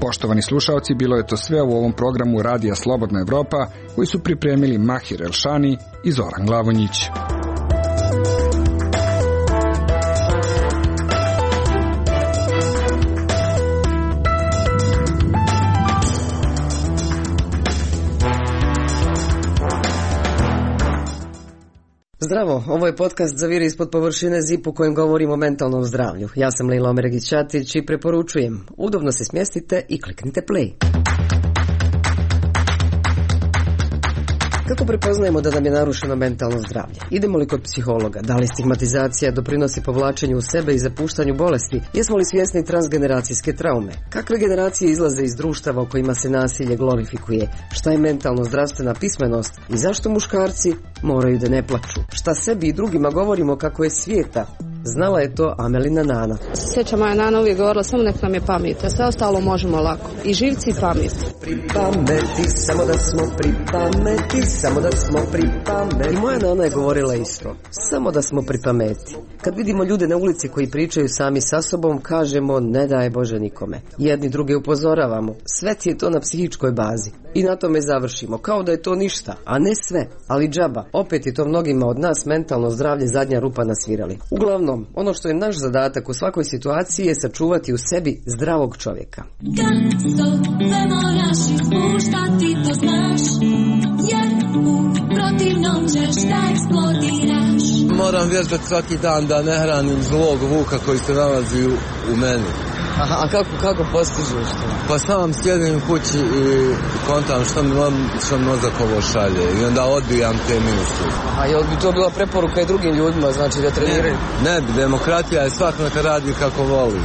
S1: Poštovani slušalci, bilo je to sve u ovom programu Radija Slobodna Evropa koji su pripremili Mahir Elšani i Zoran Glavonjić.
S9: Zdravo, ovo je podcast Zaviri ispod površine zip u kojem govorimo o mentalnom zdravlju. Ja sam Lila Omeregić-Ćatić i preporučujem, udobno se smjestite i kliknite play. Kako prepoznajemo da nam je narušeno mentalno zdravlje? Idemo li kod psihologa? Da li stigmatizacija doprinosi povlačenju u sebe i zapuštanju bolesti? Jesmo li svjesni transgeneracijske traume? Kakve generacije izlaze iz društava u kojima se nasilje glorifikuje? Šta je mentalno zdravstvena pismenost? I zašto muškarci moraju da ne plaču? Šta sebi i drugima govorimo kako je svijeta? Znala je to Amelina Nana.
S10: Sjeća moja Nana uvijek govorila, samo nek nam je pamet, a sve ostalo možemo lako. I živci i pamet.
S9: Pri pameti, samo da smo pri pameti, samo da smo pri pameti. I moja Nana je govorila isto, samo da smo pri pameti. Kad vidimo ljude na ulici koji pričaju sami sa sobom, kažemo ne daj Bože nikome. Jedni druge upozoravamo, sve ti je to na psihičkoj bazi. I na tome završimo, kao da je to ništa, a ne sve, ali džaba. Opet je to mnogima od nas mentalno zdravlje zadnja rupa na svirali. Uglavnom, ono što je naš zadatak u svakoj situaciji je sačuvati u sebi zdravog čovjeka.
S11: Kad sove moraš ispuštati, to znaš, jer u protivnom ćeš da eksplodiraš.
S26: Moram vježbati svaki dan da ne hranim zlog vuka koji se nalazi u, u meni.
S9: Aha, a kako, kako postižeš to?
S26: Pa sam sjedim kući i kontam što mi, što mi mozak ovo šalje i onda odbijam te misli.
S9: A jel bi to bila preporuka i drugim ljudima, znači da treniraju?
S26: Ne, ne bi, demokratija je svak neka radi kako voli.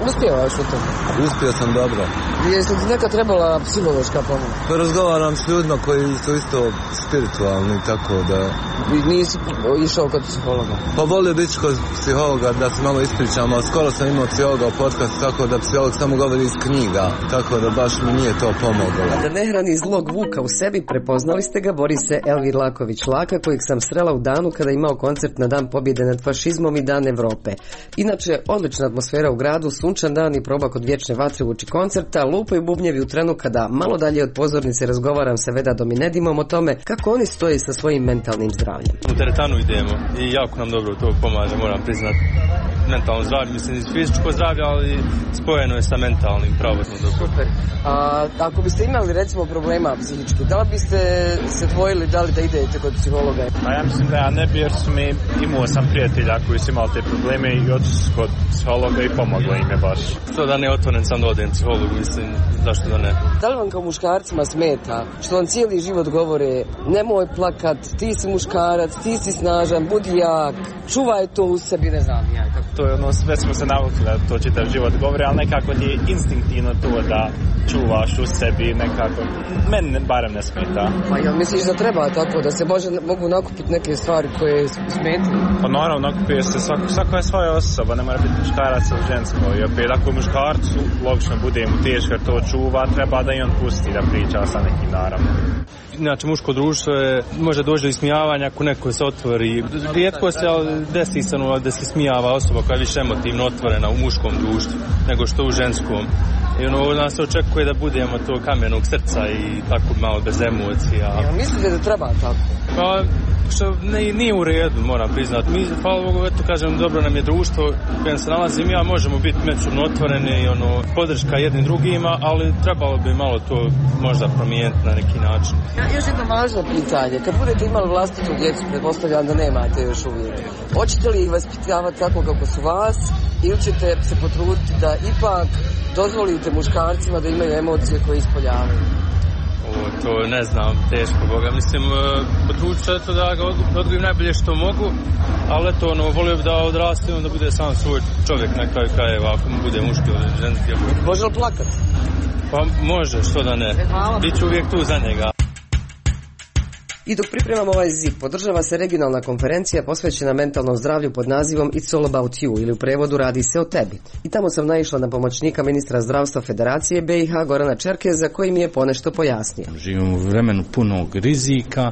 S9: Uspjevaš u tome?
S26: Uspio sam dobro.
S9: Jesi ti neka trebala psihološka pomoć?
S26: Pa razgovaram s ljudima koji su isto spiritualni, tako da...
S9: I nisi išao kod psihologa?
S26: Pa volio biti kod psihologa da se malo ispričam, ali skoro sam imao psihologa u podcastu, tako da psiholog samo govori iz knjiga, tako da baš mi nije to pomoglo.
S9: Da ne hrani zlog vuka u sebi, prepoznali ste ga, bori se Elvir Laković-Laka, kojeg sam srela u danu kada je imao koncert na Dan pobjede nad fašizmom i Dan Evrope. Inače, odlična atmosfera u gradu, sunčan dan i proba kod vječne vatre uoči koncerta, lupaju bubnjevi u trenu kada malo dalje od pozornice razgovaram sa Veda Dominedimom o tome kako oni stoje sa svojim mentalnim zdravljem.
S27: U teretanu idemo i jako nam dobro to pomaže, moram priznati. Mentalno zdravlje, mislim, iz fizičko zdravlje, ali spojeno je sa mentalnim, pravodno dobro.
S9: Super. A ako biste imali, recimo, problema psihički, da li biste se dvojili da li da idete kod psihologa?
S27: Pa ja mislim da ja ne bi, jer su mi, imao sam prijatelja koji su imali te probleme i otišli kod psihologa i pomoglo im je baš. To da ne otvoren sam da odem psihologu, mislim, zašto da ne?
S9: Da li vam kao muškarcima smeta što vam cijeli život govore nemoj plakat, ti si muškarac, ti si snažan, budi jak, čuvaj to u sebi, ne znam ja.
S27: To je ono, sve smo se navukli da to čitav život govori, ali nekako je instinktivno to da čuvaš u sebi, nekako, meni barem ne smeta.
S9: Pa jel misliš da treba tako, da se može, mogu nakupiti neke stvari koje smetaju?
S27: Pa naravno, nakupuje se, svako, svako je svoja osoba, ne mora biti muškarac ili žensko. I opet, ako je muškarcu, logično bude mu teško jer to čuva, treba da i on pusti da priča sa nekim, naravno. Znači, muško društvo je, može doći do ismijavanja ako neko se otvori. Rijetko se desi se da se smijava osoba koja je više emotivno otvorena u muškom društvu nego što u ženskom. I ono, od nas se očekuje da budemo to kamenog srca i tako malo bez emocija.
S9: Ja, mislite da treba tako?
S27: Pa, što ne, nije u redu, moram priznati. Mi, hvala Bogu, eto kažem, dobro nam je društvo u kojem se nalazim ja, možemo biti međusobno otvoreni i ono, podrška jednim drugima, ali trebalo bi malo to možda promijeniti na neki način.
S9: Ja, još jedno važno pitanje. Kad budete imali vlastitu djecu, pretpostavljam da nemate još uvijek. Hoćete li ih vaspitavati tako kako su vas ili ćete se potruditi da ipak dozvolite muškarcima da imaju emocije koje ispoljavaju?
S27: O, to ne znam, teško Boga. Mislim, potrudit ću eto da ga odgojim najbolje što mogu, ali eto, ono, volio bi da odraste i onda bude sam svoj čovjek na kraju krajeva, ako mu bude muški ili ženski.
S9: Može li plakat?
S27: Pa može, što da ne. Biću uvijek tu za njega.
S9: I dok pripremamo ovaj zip, podržava se regionalna konferencija posvećena mentalnom zdravlju pod nazivom It's all about you, ili u prevodu Radi se o tebi. I tamo sam naišla na pomoćnika ministra zdravstva Federacije B i H Gorana Čerkeza, koji mi je ponešto pojasnio.
S2: Živimo u vremenu punog rizika,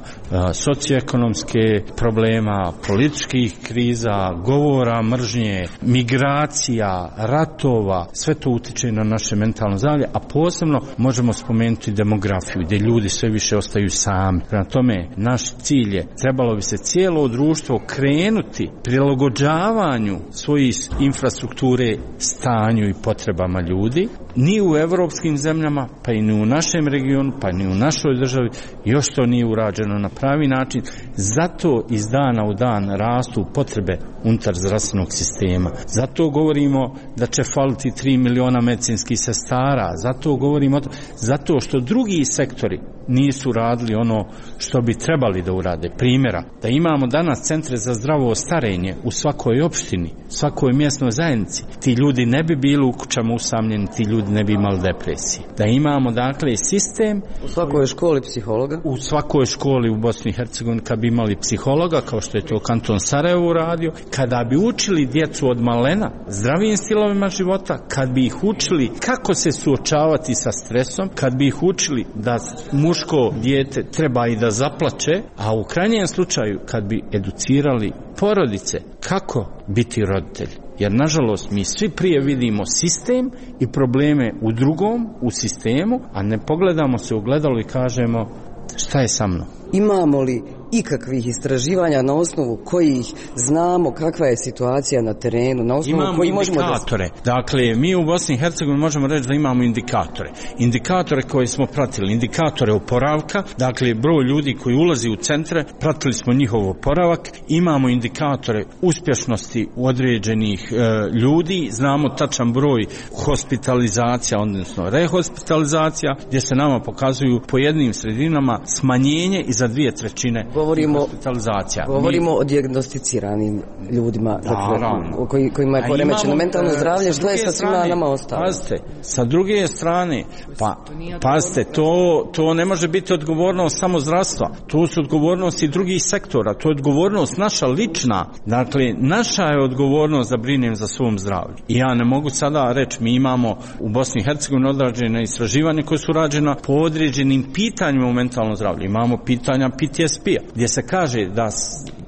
S2: socioekonomske problema, političkih kriza, govora, mržnje, migracija, ratova, sve to utiče na naše mentalno zdravlje, a posebno možemo spomenuti demografiju, gdje ljudi sve više ostaju sami. Prema tome, naš cilj je, trebalo bi se cijelo društvo krenuti prilagođavanju svojih infrastrukture stanju i potrebama ljudi. Ni u evropskim zemljama, pa i ni u našem regionu, pa ni u našoj državi još to nije urađeno na pravi način. Zato iz dana u dan rastu potrebe unutar zdravstvenog sistema. Zato govorimo da će faliti tri miliona medicinskih sestara. Zato govorimo, zato što drugi sektori nisu radili ono što bi trebali da urade. Primjera, da imamo danas centre za zdravo starenje u svakoj opštini, svakoj mjesnoj zajednici, ti ljudi ne bi bili u kućama usamljeni, ti ljudi ne bi imali depresije. Da imamo, dakle, sistem...
S9: U svakoj školi psihologa?
S2: U svakoj školi u Bosni i Hercegovini kad bi imali psihologa, kao što je to kanton Sarajevo uradio, kada bi učili djecu od malena zdravijim stilovima života, kad bi ih učili kako se suočavati sa stresom, kad bi ih učili da muško dijete treba i da zaplače, a u krajnjem slučaju kad bi educirali porodice kako biti roditelj. Jer, nažalost, mi svi prije vidimo sistem i probleme u drugom, u sistemu, a ne pogledamo se u gledalo i kažemo šta je sa mnom.
S9: Imamo li ikakvih istraživanja na osnovu kojih znamo kakva je situacija na terenu, na osnovu
S2: imamo
S9: koji možemo
S2: indikatore. Da... Dakle, mi u Bosni i Hercegovini možemo reći da imamo indikatore. Indikatore koje smo pratili, indikatore oporavka, dakle, broj ljudi koji ulazi u centre, pratili smo njihov oporavak, imamo indikatore uspješnosti određenih e, ljudi, znamo tačan broj hospitalizacija, odnosno rehospitalizacija, gdje se nama pokazuju po jednim sredinama smanjenje i za dvije trećine
S9: govorimo,
S2: hospitalizacija.
S9: Govorimo Mi... o dijagnosticiranim ljudima, dakle, koji, kojima je poremećeno mentalno zdravlje, što je sa svima nama ostalo.
S2: Pazite, sa druge strane, pa, pazite, to, to ne može biti odgovornost samo zdravstva, to su odgovornosti drugih sektora, to je odgovornost naša lična, dakle, naša je odgovornost da brinem za svom zdravlju. I ja ne mogu sada reći, mi imamo u Bosni i Hercegovini odrađene istraživanje koje su rađena po određenim pitanjima u mentalnom zdravlju. Imamo pitanja P T S P-a, gdje se kaže da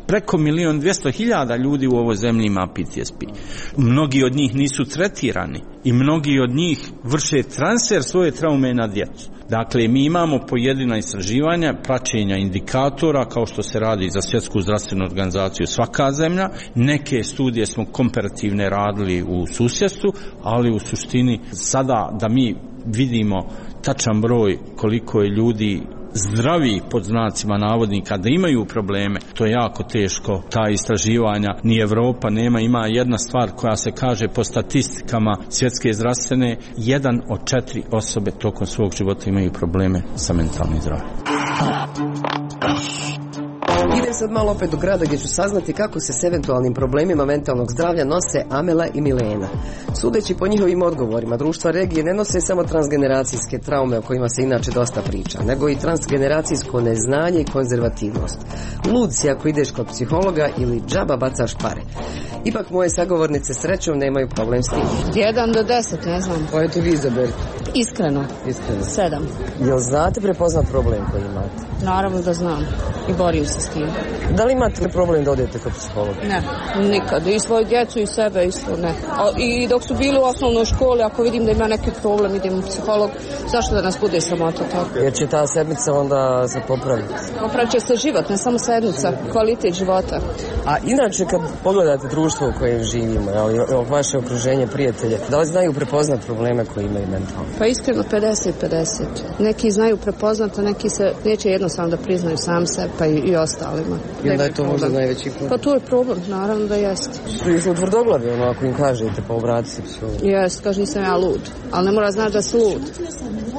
S2: preko milion dvjesto hiljada ljudi u ovoj zemlji ima P T S P. Mnogi od njih nisu tretirani i mnogi od njih vrše transfer svoje traume na djecu. Dakle, mi imamo pojedina istraživanja, praćenja indikatora, kao što se radi za Svjetsku zdravstvenu organizaciju svaka zemlja. Neke studije smo komparativne radili u susjedstvu, ali u suštini sada da mi vidimo tačan broj koliko je ljudi zdravi pod znacima navodnika da imaju probleme, to je jako teško. Ta istraživanja ni Evropa nema. Ima jedna stvar koja se kaže po statistikama Svjetske zdravstvene, jedan od četiri osobe tokom svog života imaju probleme sa mentalnim zdravljem.
S9: Idem sad malo opet do grada gdje ću saznati kako se s eventualnim problemima mentalnog zdravlja nose Amela i Milena. Sudeći po njihovim odgovorima, društva regije ne nose samo transgeneracijske traume o kojima se inače dosta priča, nego i transgeneracijsko neznanje i konzervativnost. Lud si ako ideš kod psihologa ili džaba bacaš pare. Ipak moje sagovornice srećom nemaju problem s tim.
S10: Jedan do deset, ne znam.
S9: Pa eto vi izaberite.
S10: Iskreno.
S9: Iskreno.
S10: Sedam.
S9: Jel znate prepoznat problem koji imate?
S10: Naravno da znam i borim se s tim.
S9: Da li imate problem da odete kod psihologa?
S10: Ne, nikad. I svoju djecu i sebe isto ne. A, i dok su bili u osnovnoj školi, ako vidim da ima neki problem, idem u psiholog. Zašto da nas bude sramota tako?
S9: Jer će ta sedmica onda se popraviti.
S10: Popravit će se život, ne samo sedmica, kvalitet života.
S9: A inače kad pogledate društvo u kojem živimo, ali vaše okruženje, prijatelje, da li znaju prepoznat probleme koje imaju mentalno?
S10: Pa iskreno pedeset pedeset. Neki znaju prepoznat, a neki se neće jednostavno da priznaju sam sebe, pa i, i ostalima.
S9: I onda je to možda najveći problem.
S10: Pa to je problem, naravno da jeste.
S9: Su tvrdoglavi, ono, ako im kažete, pa obrati se psihologu.
S10: Jeste, kaže nisam ja lud, ali ne mora znaći da si lud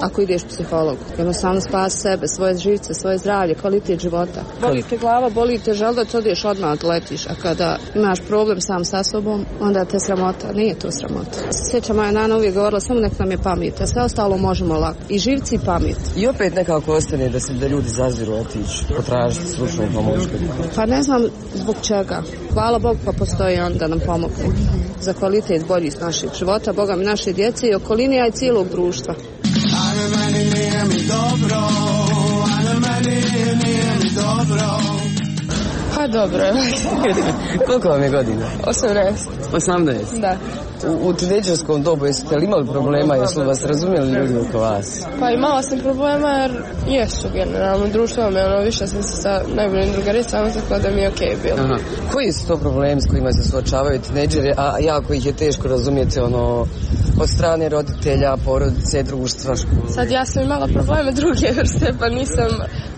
S10: ako ideš psihologu. Jednostavno spasi sebe, svoje živce, svoje zdravlje, kvalitet života. Boli te glava, boli te želudac, odeš odmah odletiš, a kada imaš problem sam sa sobom, onda te sramota, nije to sramota. Sjeća moja nana uvijek govorila, samo nek nam je pamet, a sve ostalo možemo lako. I živci i pamet.
S9: I opet nekako ostane da se da ljudi zaziru otići, potražiti stručnu pomoć.
S10: Pa ne znam zbog čega. Hvala Bogu pa postoji on da nam pomogne. Za kvalitet bolji iz našeg života, Boga mi naše djece i okoline, a i cijelog društva.
S11: Ajme meni nije mi dobro, ajme meni nije mi dobro.
S3: Pa dobro je.
S9: Koliko vam je godina?
S3: osamnaest.
S9: osamnaest?
S3: Da.
S9: U, u tinejdžerskom dobu jeste li imali problema, jesu li vas razumjeli ljudi oko vas?
S3: Pa imala sam problema jer jesu generalno. Društvo me ono više sam se sa najboljim drugaricama, tako da mi je okej okay bilo.
S9: Aha. Koji su to problemi s kojima se suočavaju tinejdžeri, a jako ih je teško razumjeti ono od strane roditelja, porodice, društva, škole?
S3: Sad ja sam imala probleme druge vrste, pa nisam,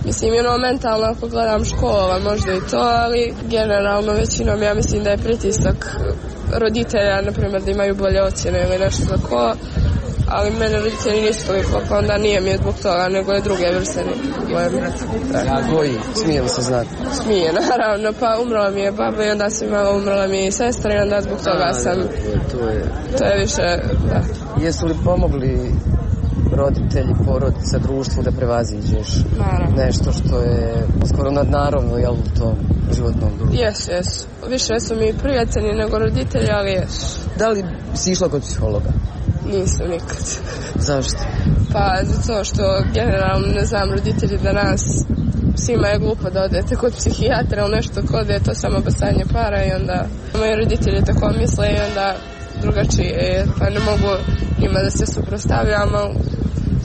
S3: mislim, ono mentalno ako gledam škola, možda i to, ali generalno većinom ja mislim da je pritisak roditelja, na primjer, da imaju bolje ocjene ili nešto tako, ali mene roditelji nisu toliko, pa onda nije mi je zbog toga, nego je druge vrste probleme.
S9: Koji? Smije li se znati?
S3: Smije, naravno, pa umrla mi je baba i onda sam imala, umrla mi je sestra i onda zbog toga sam,
S9: to je,
S3: to je više, da.
S9: Jesu li pomogli roditelji, porodica, društvu da prevaziđeš
S3: naravno
S9: nešto što je skoro nadnaravno, jel, u tom životnom društvu?
S3: Jesu, jesu. Više su mi prijatelji nego roditelji, ali jesu.
S9: Da li si išla kod psihologa?
S3: Nisam nikad.
S9: Zašto?
S3: Pa zato što generalno, ne znam, roditelji danas, svima je glupo da odete kod psihijatra ili nešto kod je to samo bacanje para i onda moji roditelji tako misle i onda drugačije, pa ne mogu njima da se suprotstavljam, ali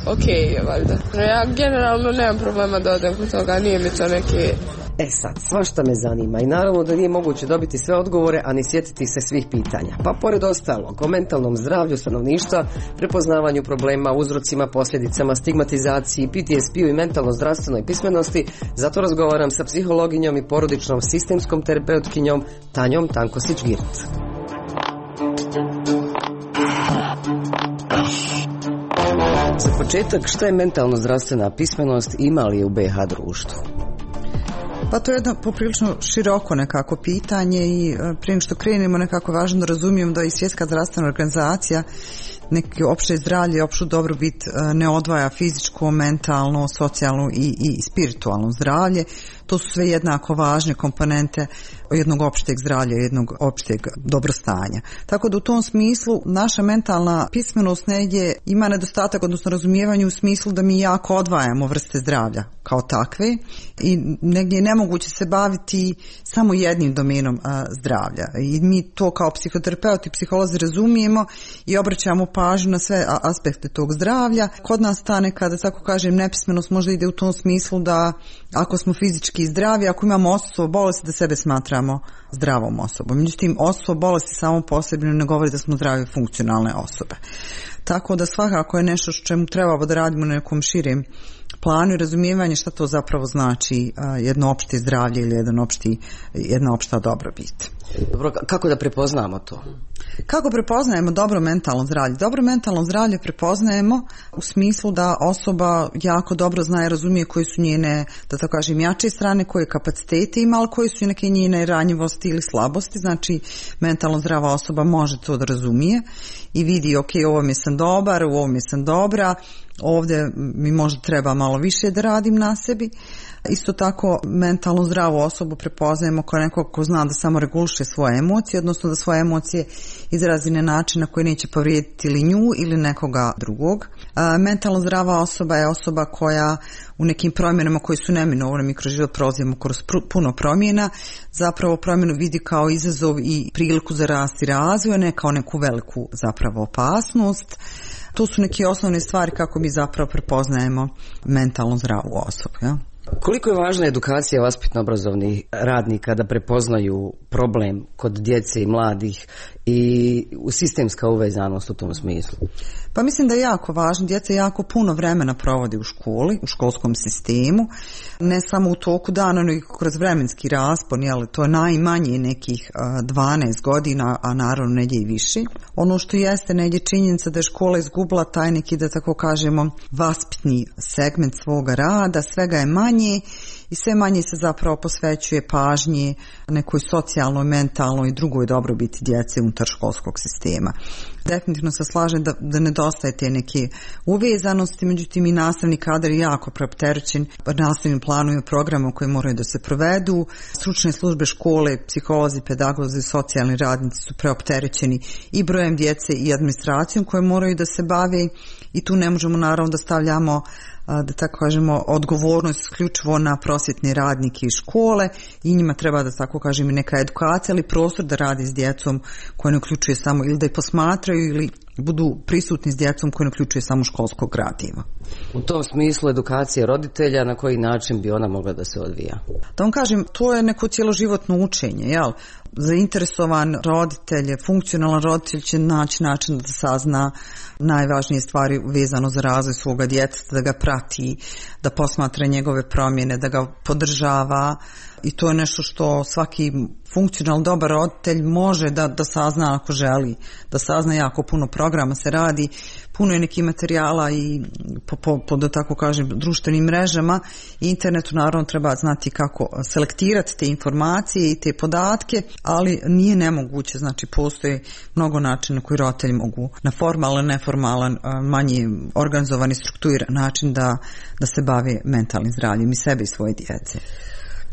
S3: okej je valjda. Ja generalno nemam problema da odem kod toga, nije mi to neki...
S9: E sad, svašta me zanima i naravno da nije moguće dobiti sve odgovore, a ni sjetiti se svih pitanja. Pa pored ostalog, o mentalnom zdravlju stanovništva, prepoznavanju problema, uzrocima, posljedicama, stigmatizaciji, P T S P-u i mentalno zdravstvenoj pismenosti, zato razgovaram sa psihologinjom i porodičnom sistemskom terapeutkinjom Tanjom Tankosić-Girt. Za početak, šta je mentalno zdravstvena pismenost, ima li je u B iH društvu?
S12: Pa to je jedno poprilično široko nekako pitanje i prije što krenemo nekako važno da razumijemo da i Svjetska zdravstvena organizacija neki opšte zdravlje, opšu dobrobit ne odvaja fizičko, mentalno, socijalno i, i spiritualno zdravlje. To su sve jednako važne komponente jednog opšteg zdravlja, jednog opšteg dobrostanja. Tako da u tom smislu naša mentalna pismenost negdje ima nedostatak, odnosno razumijevanje u smislu da mi jako odvajamo vrste zdravlja kao takve i negdje je nemoguće se baviti samo jednim domenom a, zdravlja. I mi to kao psihoterapeuti i psiholozi razumijemo i obraćamo pažnju na sve aspekte tog zdravlja. Kod nas ta neka, da tako kažem, nepismenost možda ide u tom smislu da ako smo fizički zdravi, ako imamo osustvo bolesti, da sebe smatramo zdravom osobom. Međutim, osustvo bolesti samo posebno ne govori da smo zdrave funkcionalne osobe. Tako da svakako je nešto što čemu trebamo da radimo na nekom širem planu i razumijevanje šta to zapravo znači jedno opšte zdravlje ili jedan opšti, jedna opšta dobrobit.
S9: Dobro, kako da prepoznamo to?
S12: Kako prepoznajemo dobro mentalno zdravlje? Dobro mentalno zdravlje prepoznajemo u smislu da osoba jako dobro zna i razumije koje su njene, da tako kažem, jače strane, koje kapacitete ima, ali koje su neke njene ranjivosti ili slabosti. Znači, mentalno zdrava osoba može to da razumije i vidi, ok, ovo mi sam dobar, u ovom mi sam dobra, ovdje mi možda treba malo više da radim na sebi. Isto tako mentalno zdravu osobu prepoznajemo kao nekog ko zna da samo reguliše svoje emocije, odnosno da svoje emocije izrazi na način na koji neće povrijediti ili nju ili nekoga drugog. A, mentalno zdrava osoba je osoba koja u nekim promjenama koji su neminovne, mi kroz život prolazimo kroz puno promjena, zapravo promjenu vidi kao izazov i priliku za rast i razvoj, ne kao neku veliku zapravo opasnost. To su neke osnovne stvari kako mi zapravo prepoznajemo mentalno zdravu osobu. Ja?
S9: Koliko je važna edukacija vaspitno-obrazovnih radnika da prepoznaju problem kod djece i mladih i sistemska uvezanost u tom smislu?
S12: Pa mislim da je jako važno. Djeca jako puno vremena provode u školi, u školskom sistemu, ne samo u toku dana, nego i kroz vremenski raspon, jel, to je najmanje nekih dvanaest godina, a naravno negdje i više. Ono što jeste negdje činjenica da je škola izgubila taj neki, da tako kažemo, vaspitni segment svoga rada, svega je manje i sve manje se zapravo posvećuje pažnji nekoj socijalnoj, mentalnoj i drugoj dobrobiti djece unutar školskog sistema. Definitivno se slažem da, da nedostaje te neke uvezanosti, međutim i nastavni kadar je jako preopterećen nastavnim planom i programom koji moraju da se provedu. Stručne službe škole, psiholozi, pedagozi, socijalni radnici su preopterećeni i brojem djece i administracijom koje moraju da se bave i tu ne možemo naravno da stavljamo, da tako kažemo, odgovornost isključivo na prosvjetne radnike iz škole i njima treba da tako kažem i neka edukacija ali prostor da radi s djecom koja ne uključuje samo ili da je posmatraju ili budu prisutni s djecom koja ne uključuje samo školskog gradiva.
S9: U tom smislu edukacija roditelja, na koji način bi ona mogla da se odvija?
S12: Da vam kažem, to je neko cjeloživotno učenje, jel? Zainteresovan roditelj, funkcionalan roditelj će naći način da sazna najvažnije stvari vezano za razvoj svoga djeteta, da ga prati, da posmatra njegove promjene, da ga podržava i to je nešto što svaki funkcionalno dobar roditelj može da, da sazna ako želi, da sazna. Jako puno programa se radi, puno je nekih materijala i po, po, po da tako kažem društvenim mrežama i internetu naravno treba znati kako selektirati te informacije i te podatke, ali nije nemoguće, znači postoje mnogo načina koji roditelji mogu na formalan, neformalan, manje organizovani, strukturiran način da, da se bave mentalnim zdravljem i sebe i svoje djece.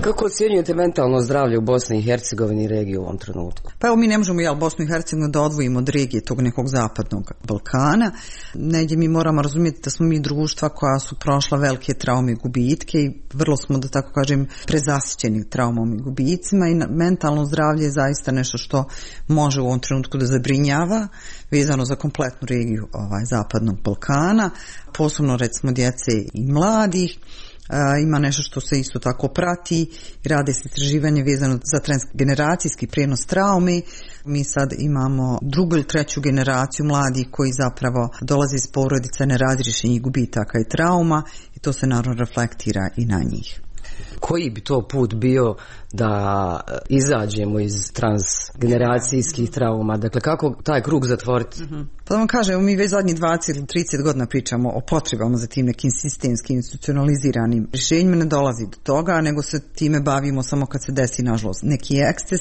S9: Kako ocjenjujete mentalno zdravlje u Bosni i Hercegovini i regiji u ovom trenutku?
S12: Pa evo mi ne možemo jel, Bosnu i Hercegovinu da odvojimo od regije tog nekog zapadnog Balkana. Negdje mi moramo razumjeti da smo mi društva koja su prošla velike traume i gubitke i vrlo smo, da tako kažem, prezasićeni traumom i gubicima i mentalno zdravlje je zaista nešto što može u ovom trenutku da zabrinjava vezano za kompletnu regiju ovaj, zapadnog Balkana, posebno recimo djece i mladih. Uh, ima nešto što se isto tako prati i rade se istraživanje vezano za transgeneracijski prijenos traume. Mi sad imamo drugu ili treću generaciju mladih koji zapravo dolaze iz porodica nerazriješenih gubitaka i trauma i to se naravno reflektira i na njih.
S9: Koji bi to put bio da izađemo iz transgeneracijskih trauma? Dakle, kako taj krug zatvoriti?
S12: Mm-hmm. Pa da vam kažem, mi već zadnjih dvadeset ili trideset godina pričamo o potrebama za tim nekim sistemskim institucionaliziranim rješenjima, ne dolazi do toga, nego se time bavimo samo kad se desi, nažalost, neki eksces.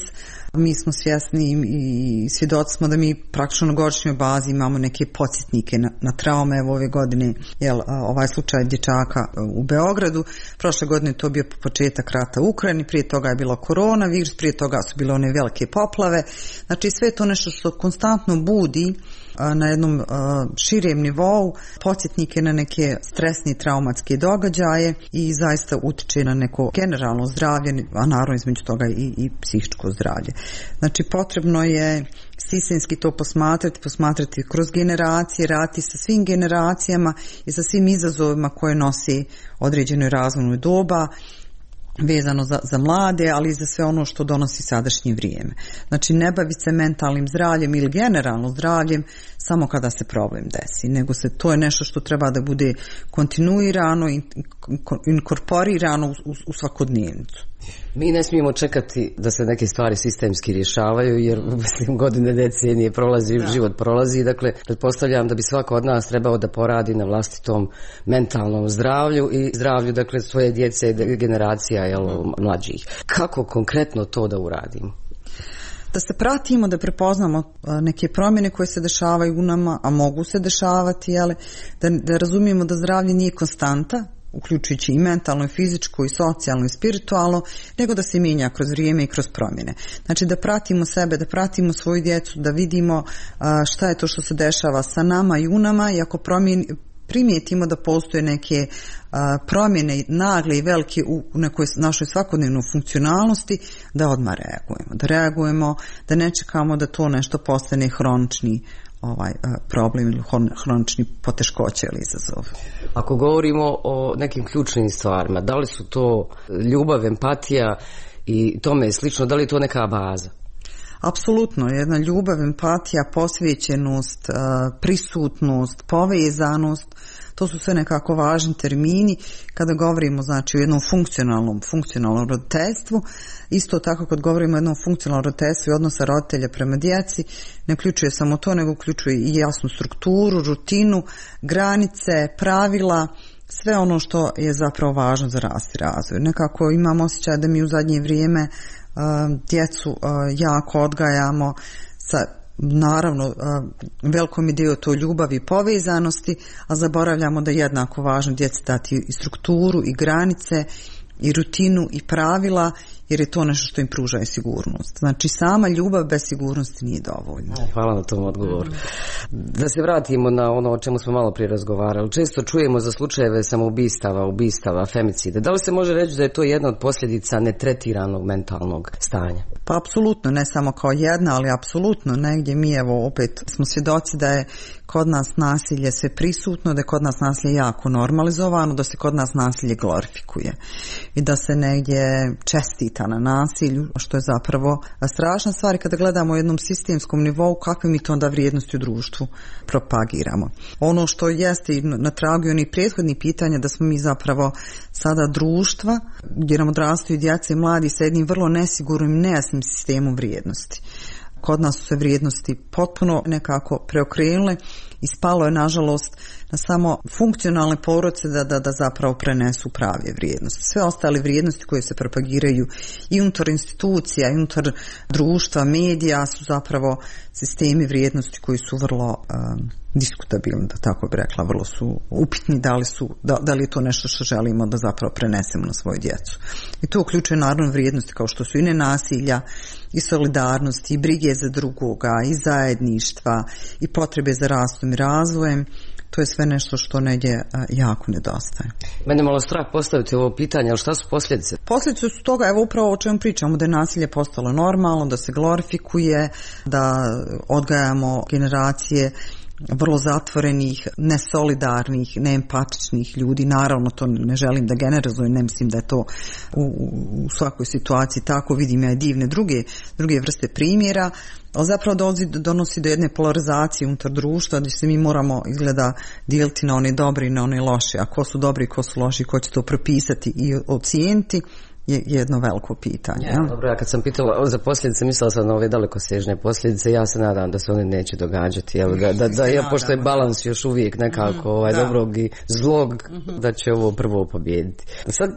S12: Mi smo svjesni i svjedoci smo da mi praktično na godišnjoj bazi imamo neke podsjetnike na, na traume. Evo ove godine, jel, ovaj slučaj dječaka u Beogradu, prošle godine to bio početak rata u Ukrajini, prije toga je bilo koronavirus, prije toga su bile one velike poplave. Znači sve to nešto što konstantno budi na jednom širem nivou podsjetnike na neke stresne i traumatske događaje i zaista utiče na neko generalno zdravlje, a naravno između toga i, i psihičko zdravlje. Znači potrebno je sistemski to posmatrati, posmatrati kroz generacije, raditi sa svim generacijama i sa svim izazovima koje nosi određeno razvojno doba, vezano za, za mlade, ali i za sve ono što donosi sadašnje vrijeme. Znači ne baviti se mentalnim zdravljem ili generalno zdravljem samo kada se problem desi, nego se to je nešto što treba da bude kontinuirano i inkorporirano u, u, u svakodnevnicu.
S9: Mi ne smijemo čekati da se neke stvari sistemski rješavaju, jer mislim godine decenije prolazi, da. Život prolazi, dakle pretpostavljam da bi svako od nas trebao da poradi na vlastitom mentalnom zdravlju i zdravlju, dakle, svoje djece i generacija, jel, mlađih. Kako konkretno to da uradimo?
S12: Da se pratimo, da prepoznamo neke promjene koje se dešavaju u nama, a mogu se dešavati, jel, da, da razumijemo da zdravlje nije konstanta, uključujući i mentalno, i fizičko, i socijalno, i spiritualno, nego da se mijenja kroz vrijeme i kroz promjene. Znači da pratimo sebe, da pratimo svoju djecu, da vidimo šta je to što se dešava sa nama i u nama, i ako promijeni, primijetimo da postoje neke a, promjene nagle i velike u nekoj našoj svakodnevnoj funkcionalnosti, da odmah reagujemo. Da reagujemo, da ne čekamo da to nešto postane hronični ovaj problem ili hronični poteškoće ili izazov.
S9: Ako govorimo o nekim ključnim stvarima, da li su to ljubav, empatija i tome slično, da li je to neka baza?
S12: Apsolutno, jedna ljubav, empatija, posvećenost, prisutnost, povezanost, to su sve nekako važni termini kada govorimo znači o jednom funkcionalnom, funkcionalnom roditeljstvu. Isto tako kad govorimo o jednom funkcionalnom roditeljstvu i odnosa roditelja prema djeci, ne uključuje samo to, nego uključuje i jasnu strukturu, rutinu, granice, pravila, sve ono što je zapravo važno za rast i razvoj. Nekako imam osjećaj da mi u zadnje vrijeme djecu jako odgajamo sa naravno velikom idejom to ljubavi i povezanosti, a zaboravljamo da je jednako važno djeci dati i strukturu i granice i rutinu i pravila, jer je to nešto što im pruža i sigurnost. Znači sama ljubav bez sigurnosti nije dovoljna.
S9: Hvala na tom odgovoru. Da se vratimo na ono o čemu smo malo prije razgovarali. Često čujemo za slučajeve samoubistava, ubistava, femicide. Da li se može reći da je to jedna od posljedica netretiranog mentalnog stanja?
S12: Pa apsolutno, ne samo kao jedna, ali apsolutno negdje mi evo opet smo svjedoci da je kod nas nasilje sve prisutno, da je kod nas nasilje jako normalizovano, da se kod nas nasilje glorifikuje i da se negdje čestita na nasilju, što je zapravo strašna stvar. I kada gledamo u jednom sistemskom nivou, kakve mi to onda vrijednosti u društvu propagiramo. Ono što jeste i na tragu onih prethodnih pitanja, da smo mi zapravo sada društva gdje nam odrastaju djeca i mladi sa jednim vrlo nesigurnim, nejasnim sistemom vrijednosti. Kod nas su se vrijednosti potpuno nekako preokrenule i spalo je nažalost na samo funkcionalne porodice da, da, da zapravo prenesu prave vrijednosti. Sve ostale vrijednosti koje se propagiraju i unutar institucija, i unutar društva, medija su zapravo sistemi vrijednosti koji su vrlo um, diskutabilni, da tako bi rekla, vrlo su upitni da li, su, da, da li je to nešto što želimo da zapravo prenesemo na svoju djecu. I to uključuje naravno vrijednosti kao što su i nenasilja, i solidarnosti, i brige za drugoga, i zajedništva, i potrebe za rastom i razvojem. To je sve nešto što negdje jako nedostaje.
S9: Mene malo strah postaviti ovo pitanje, ali šta su posljedice?
S12: Posljedice su toga, evo upravo o čemu pričamo, da je nasilje postalo normalno, da se glorifikuje, da odgajamo generacije vrlo zatvorenih, nesolidarnih, neempatičnih ljudi. Naravno, to ne želim da generalizujem, ne mislim da je to u, u svakoj situaciji tako, vidim ja i divne druge, druge vrste primjera, ali zapravo donosi, donosi do jedne polarizacije unutar društva gdje se mi moramo izgleda dijeliti na one dobre i na one loše, a ko su dobri i ko su loši, ko će to propisati i ocijeniti, je jedno veliko pitanje.
S9: Ja, dobro, ja kad sam pitala za posljedice, mislila sam na ove dalekosežne posljedice, ja se nadam da se one neće događati, jel, da, da, da ja, pošto je balans još uvijek nekako ovaj, dobrog i zlog, da će ovo prvo pobijediti. Sad,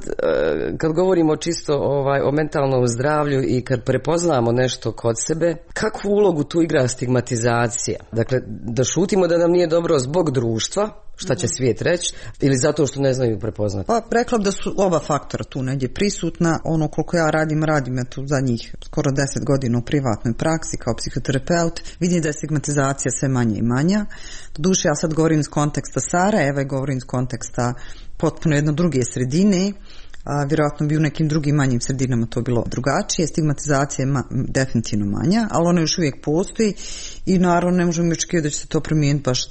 S9: kad govorimo čisto ovaj, o mentalnom zdravlju i kad prepoznamo nešto kod sebe, kakvu ulogu tu igra stigmatizacija? Dakle, da šutimo da nam nije dobro zbog društva, šta će svijet reći, ili zato što ne znaju prepoznati?
S12: Pa rekla da su oba faktora tu negdje prisutna. Ono koliko ja radim, radim ja tu zadnjih skoro deset godina u privatnoj praksi kao psihoterapeut, vidim da je stigmatizacija sve manje i manja. Doduše, ja sad govorim iz konteksta Sarajeva i govorim iz konteksta potpuno jedno druge sredine. A, vjerojatno bi u nekim drugim manjim sredinama to bilo drugačije. Stigmatizacija je ma, definitivno manja, ali ona još uvijek postoji i naravno ne možemo očekivati da će se to promijeniti baš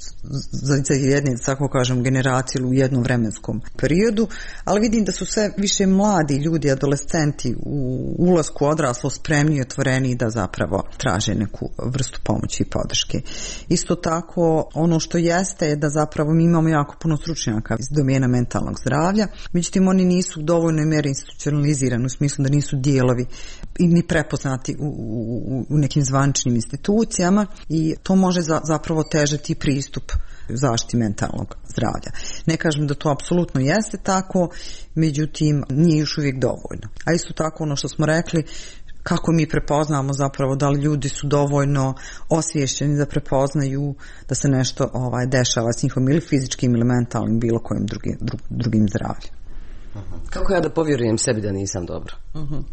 S12: za, za jedne, tako kažem, generacije u jednom vremenskom periodu, ali vidim da su sve više mladi ljudi, adolescenti u ulasku odraslo spremni i otvoreni da zapravo traže neku vrstu pomoći i podrške. Isto tako, ono što jeste je da zapravo mi imamo jako puno stručnjaka iz domena mentalnog zdravlja, međutim oni nisu dovoljno dovoljnoj mjeri institucionalizirani u smislu da nisu dijelovi i ni prepoznati u, u, u nekim zvaničnim institucijama i to može za, zapravo težati pristup zaštiti mentalnog zdravlja. Ne kažem da to apsolutno jeste tako, međutim nije još uvijek dovoljno. A isto tako ono što smo rekli, kako mi prepoznamo zapravo da li ljudi su dovoljno osviješćeni da prepoznaju da se nešto ovaj, dešava s njihovim ili fizičkim ili mentalnim bilo kojim drugim, drugim zdravljem.
S9: Kako ja da povjerujem sebi da nisam dobro?
S12: Uh-huh.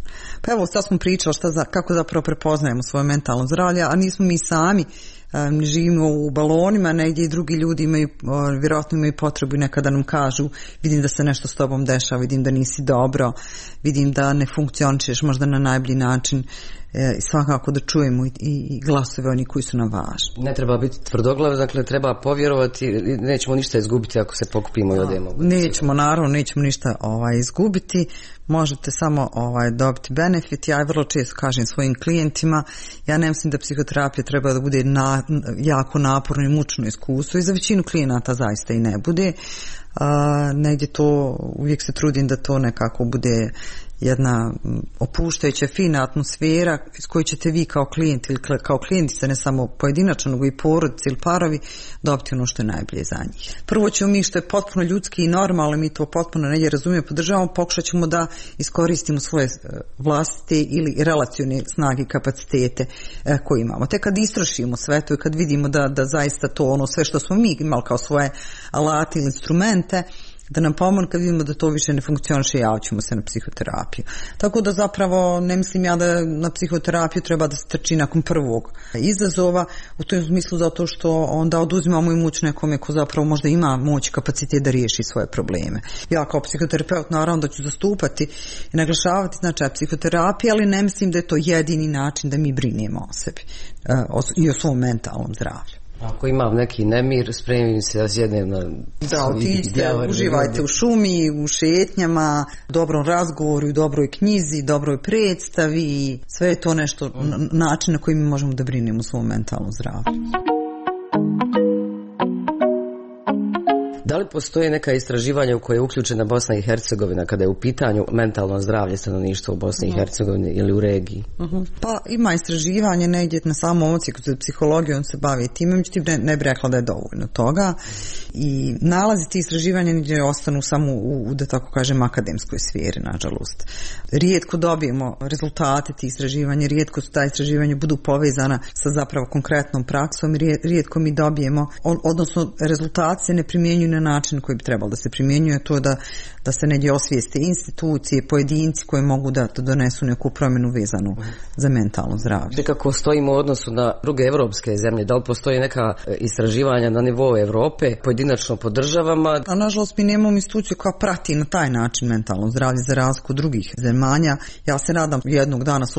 S12: Pa evo, sad smo pričali šta za, kako zapravo prepoznajemo svoje mentalno zdravlje, a nismo mi sami, um, živimo u balonima, negdje i drugi ljudi imaju, uh, vjerojatno imaju potrebu i nekada nam kažu, vidim da se nešto s tobom dešava, vidim da nisi dobro, vidim da ne funkcionišeš možda na najbolji način, i svakako da čujemo i, i glasove oni koji su nam važni.
S9: Ne treba biti tvrdoglav, dakle treba povjerovati, nećemo ništa izgubiti ako se pokupimo i odemo.
S12: Nećemo, naravno, nećemo ništa ovaj, izgubiti, možete samo ovaj, dobiti benefit. Ja vrlo često kažem svojim klijentima, ja ne mislim da psihoterapija treba da bude na, jako naporno i mučno iskustvo i za većinu klijenata zaista i ne bude. A, negdje to, uvijek se trudim da to nekako bude jedna opuštajuća, fina atmosfera iz koje ćete vi kao klijent ili kao klijentica, ne samo pojedinačno, nego i porodice ili parovi, dobiti ono što je najbolje za njih. Prvo ćemo mi, što je potpuno ljudski i normalno, mi to potpuno negdje razumijemo, podržavamo, pokušat ćemo da iskoristimo svoje vlastite ili relacione snage i kapacitete koje imamo. Te kad istrošimo sve to i kad vidimo da, da zaista to ono sve što smo mi imali kao svoje alate ili instrumente, da nam pomogne, kad vidimo da to više ne funkcioniše, javit ćemo se na psihoterapiju. Tako da zapravo ne mislim ja da na psihoterapiju treba da se trči nakon prvog izazova, u tom smislu zato što onda oduzimamo i moć nekome ko zapravo možda ima moć i kapacitet da riješi svoje probleme. Ja kao psihoterapeut naravno da ću zastupati i naglašavati značaj psihoterapije, ali ne mislim da je to jedini način da mi brinemo o sebi i o svom mentalnom zdravlju.
S9: Ako imam neki nemir, spremim se da sjednem na...
S12: Da, otiđite, uživajte u šumi, u šetnjama, dobrom razgovoru, dobroj knjizi, dobroj predstavi, sve je to nešto, način na koji mi možemo da brinemo o svom mentalnom zdravlju.
S9: Da li postoje neka istraživanja u koje je uključena Bosna i Hercegovina kada je u pitanju mentalno zdravlje stanovništva u Bosni i Hercegovini ili u regiji?
S12: Uh-huh. Pa ima istraživanje negdje na samom ocijeku za psihologiju, on se bavi time, međutim ne, ne bih rekla da je dovoljno toga i nalazi ti istraživanja negdje ostanu samo u, da tako kažem, akademskoj sferi, nažalost. Rijetko dobijemo rezultate tih istraživanja, rijetko su ta istraživanja budu povezana sa zapravo konkretnom praksom, rijetko mi dobijemo, odnosno rezultati se ne primjenjuju na način koji bi trebalo da se primjenjuje, to da, da se negdje osvijeste institucije, pojedinci koji mogu da, da donesu neku promjenu vezanu za mentalno zdravlje.
S9: Kako stojimo u odnosu na druge evropske zemlje? Da li postoji neka istraživanja na nivou Evrope, pojedinačno po državama?
S12: A nažalost mi nemamo instituciju koja prati na taj način mentalno zdravlje za razliku drugih zemalja. Ja se nadam jednog dana s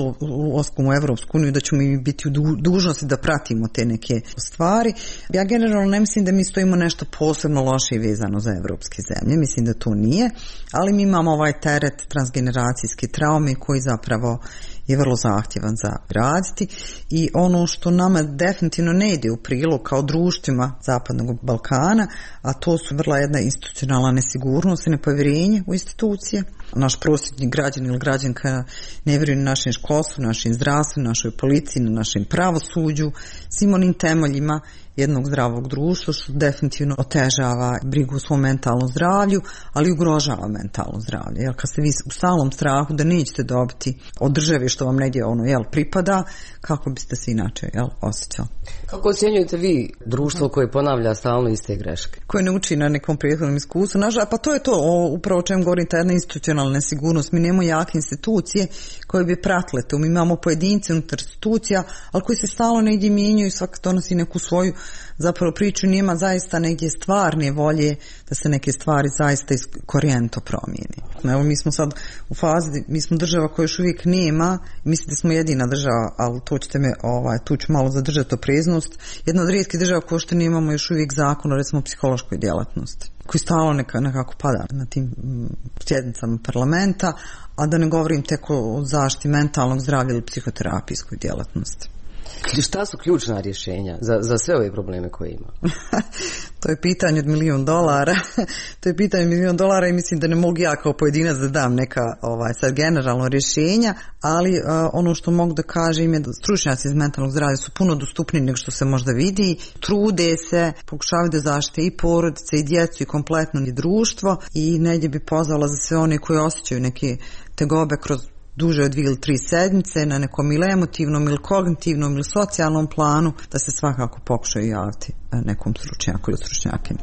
S12: ulaskom u Evropsku uniju da ćemo mi biti u dužnosti da pratimo te neke stvari. Ja generalno ne mislim da mi stojimo nešto posebno loše i vezano za evropske zemlje, mislim da to nije, ali mi imamo ovaj teret transgeneracijske traume koji zapravo je vrlo zahtjevan za raditi i ono što nama definitivno ne ide u prilog kao društvima Zapadnog Balkana, a to su vrlo jedna institucionalna nesigurnost i nepovjerenje u institucije. Naš prosječni građan ili građanka ne vjeruje na našem školstvu, našem zdravstvu, našoj policiji, na našem pravosuđu, svim onim temeljima jednog zdravog društva, što definitivno otežava brigu o svom mentalnom zdravlju, ali ugrožava mentalno zdravlje. Jer kad ste vi u stalnom strahu da nećete dobiti od države što vam negdje ono, jel, pripada, kako biste se inače, jel, osjećali?
S9: Kako ocjenjujete vi društvo koje ponavlja stalno iste greške?
S12: Koje ne uči na nekom prethodnom iskustvu. Nažalost, pa to je to, o, upravo o čem govorim, ta jedna institucionalna nesigurnost. Mi nemamo jake institucije koje bi pratile to. Mi imamo pojedince unutar institucija, ali koji se stalno negdje mijenjaju i svak donosi neku svoju zapravo priču, nema zaista negdje stvarne volje da se neke stvari zaista korijenito promijeni. Evo mi smo sad u fazi, mi smo država koja još uvijek nema, mislim da smo jedina država, ali to ćete me, ovaj, tu ću malo zadržati opreznost, jedna od rijetkih država koja što nemamo još uvijek zakon o recimo psihološkoj djelatnosti, koji stalno neka, nekako pada na tim sjednicama parlamenta, a da ne govorim tek o zaštiti mentalnog zdravlja ili psihoterapijskoj djelatnosti.
S9: Šta su ključna rješenja za, za sve ove probleme koje ima?
S12: To je pitanje od milijun dolara. To je pitanje od milijun dolara i mislim da ne mogu ja kao pojedinac da dam neka ovaj, sad generalno rješenja, ali uh, ono što mogu da kažem je da stručnjaci iz mentalnog zdravlja su puno dostupniji nego što se možda vidi. Trude se, pokušavaju da zaštite i porodice i djecu i kompletno i društvo i negdje bi pozvala za sve one koji osjećaju neke tegobe kroz duže od dvije ili tri sedmice na nekom ili emotivnom ili kognitivnom ili socijalnom planu, da se svakako pokušaju javiti nekom stručnjaku ili stručnjakinju.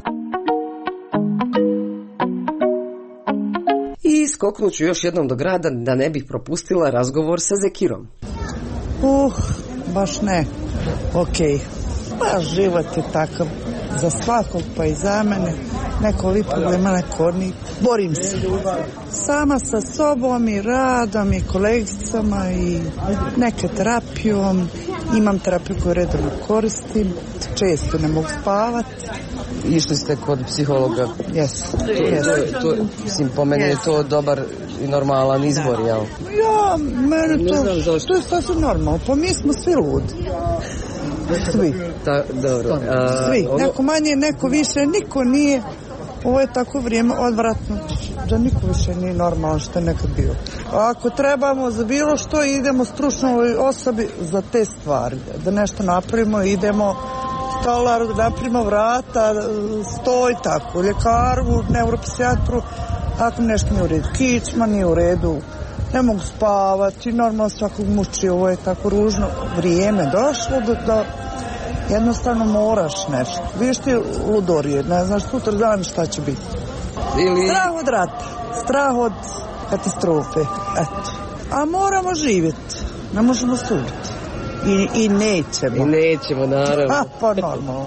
S9: I skoknut ću još jednom do grada da ne bih propustila razgovor sa Zekirom.
S13: Uh, baš ne. Okej. Okay. Pa život je takav za svakog, pa i za mene. Neko li problema, neko ni. Borim se. Sama sa sobom i radom i kolegicama i neke terapijom. Imam terapiju koju redovno koristim. Često ne mogu spavati.
S9: Išli ste kod psihologa?
S13: Jesu.
S9: Yes. To, mislim, po meni yes. je to dobar i normalan izbor, jel?
S13: Ja, mene to, to je sasvim normalno. Pa mi smo svi ludi. Svi.
S9: Ta, dobro. A,
S13: svi. Ovo... Neko manje, neko više, niko nije. Ovo je tako vrijeme odvratno da niko više nije normalno što je nekad bio. A ako trebamo za bilo što, idemo stručnoj osobi za te stvari. Da nešto napravimo, idemo stolaru, da napravimo vrata, stoj, tako, ljekaru, neuropsijatru. Ako nešto nije u redu, kičma nije u redu, ne mogu spavati, normalno svakog muči, ovo je tako ružno vrijeme došlo do, do jednostavno moraš nešto. Vidiš ti ludorije, ne znaš sutra dan šta će biti.
S9: Ili...
S13: Strah od rata, strah od katastrofe, eto. A moramo živjeti, ne možemo suditi. I, i nećemo.
S9: I nećemo, naravno.
S13: A, pa normalno.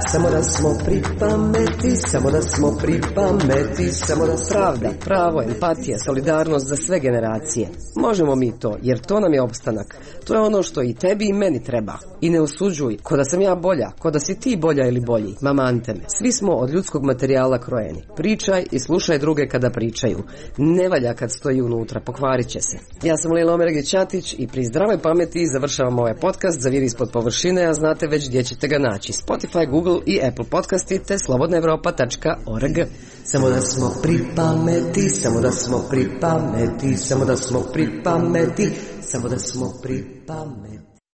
S9: Samo da smo pri pameti, samo da smo pri pameti, samo da pravda, pravo, empatija, solidarnost za sve generacije. Možemo mi to, jer to nam je opstanak. To je ono što i tebi i meni treba. I ne osuđuj, ko da sam ja bolja, ko da si ti bolja ili bolji. Mamante me. Svi smo od ljudskog materijala krojeni. Pričaj i slušaj druge kada pričaju. Ne valja kad stoji unutra, pokvarit će se. Ja sam Lila Omeregić-Ćatić i pri zdravoj pameti završavam ovaj podcast Zaviri ispod površine, a znate već gdje ćete ga naći. Spotify, Google i Apple podcasti te slobodna evropa tačka org. Samo da smo pri pameti, samo da smo pri pameti, samo da smo pri pameti, samo da smo pri pameti.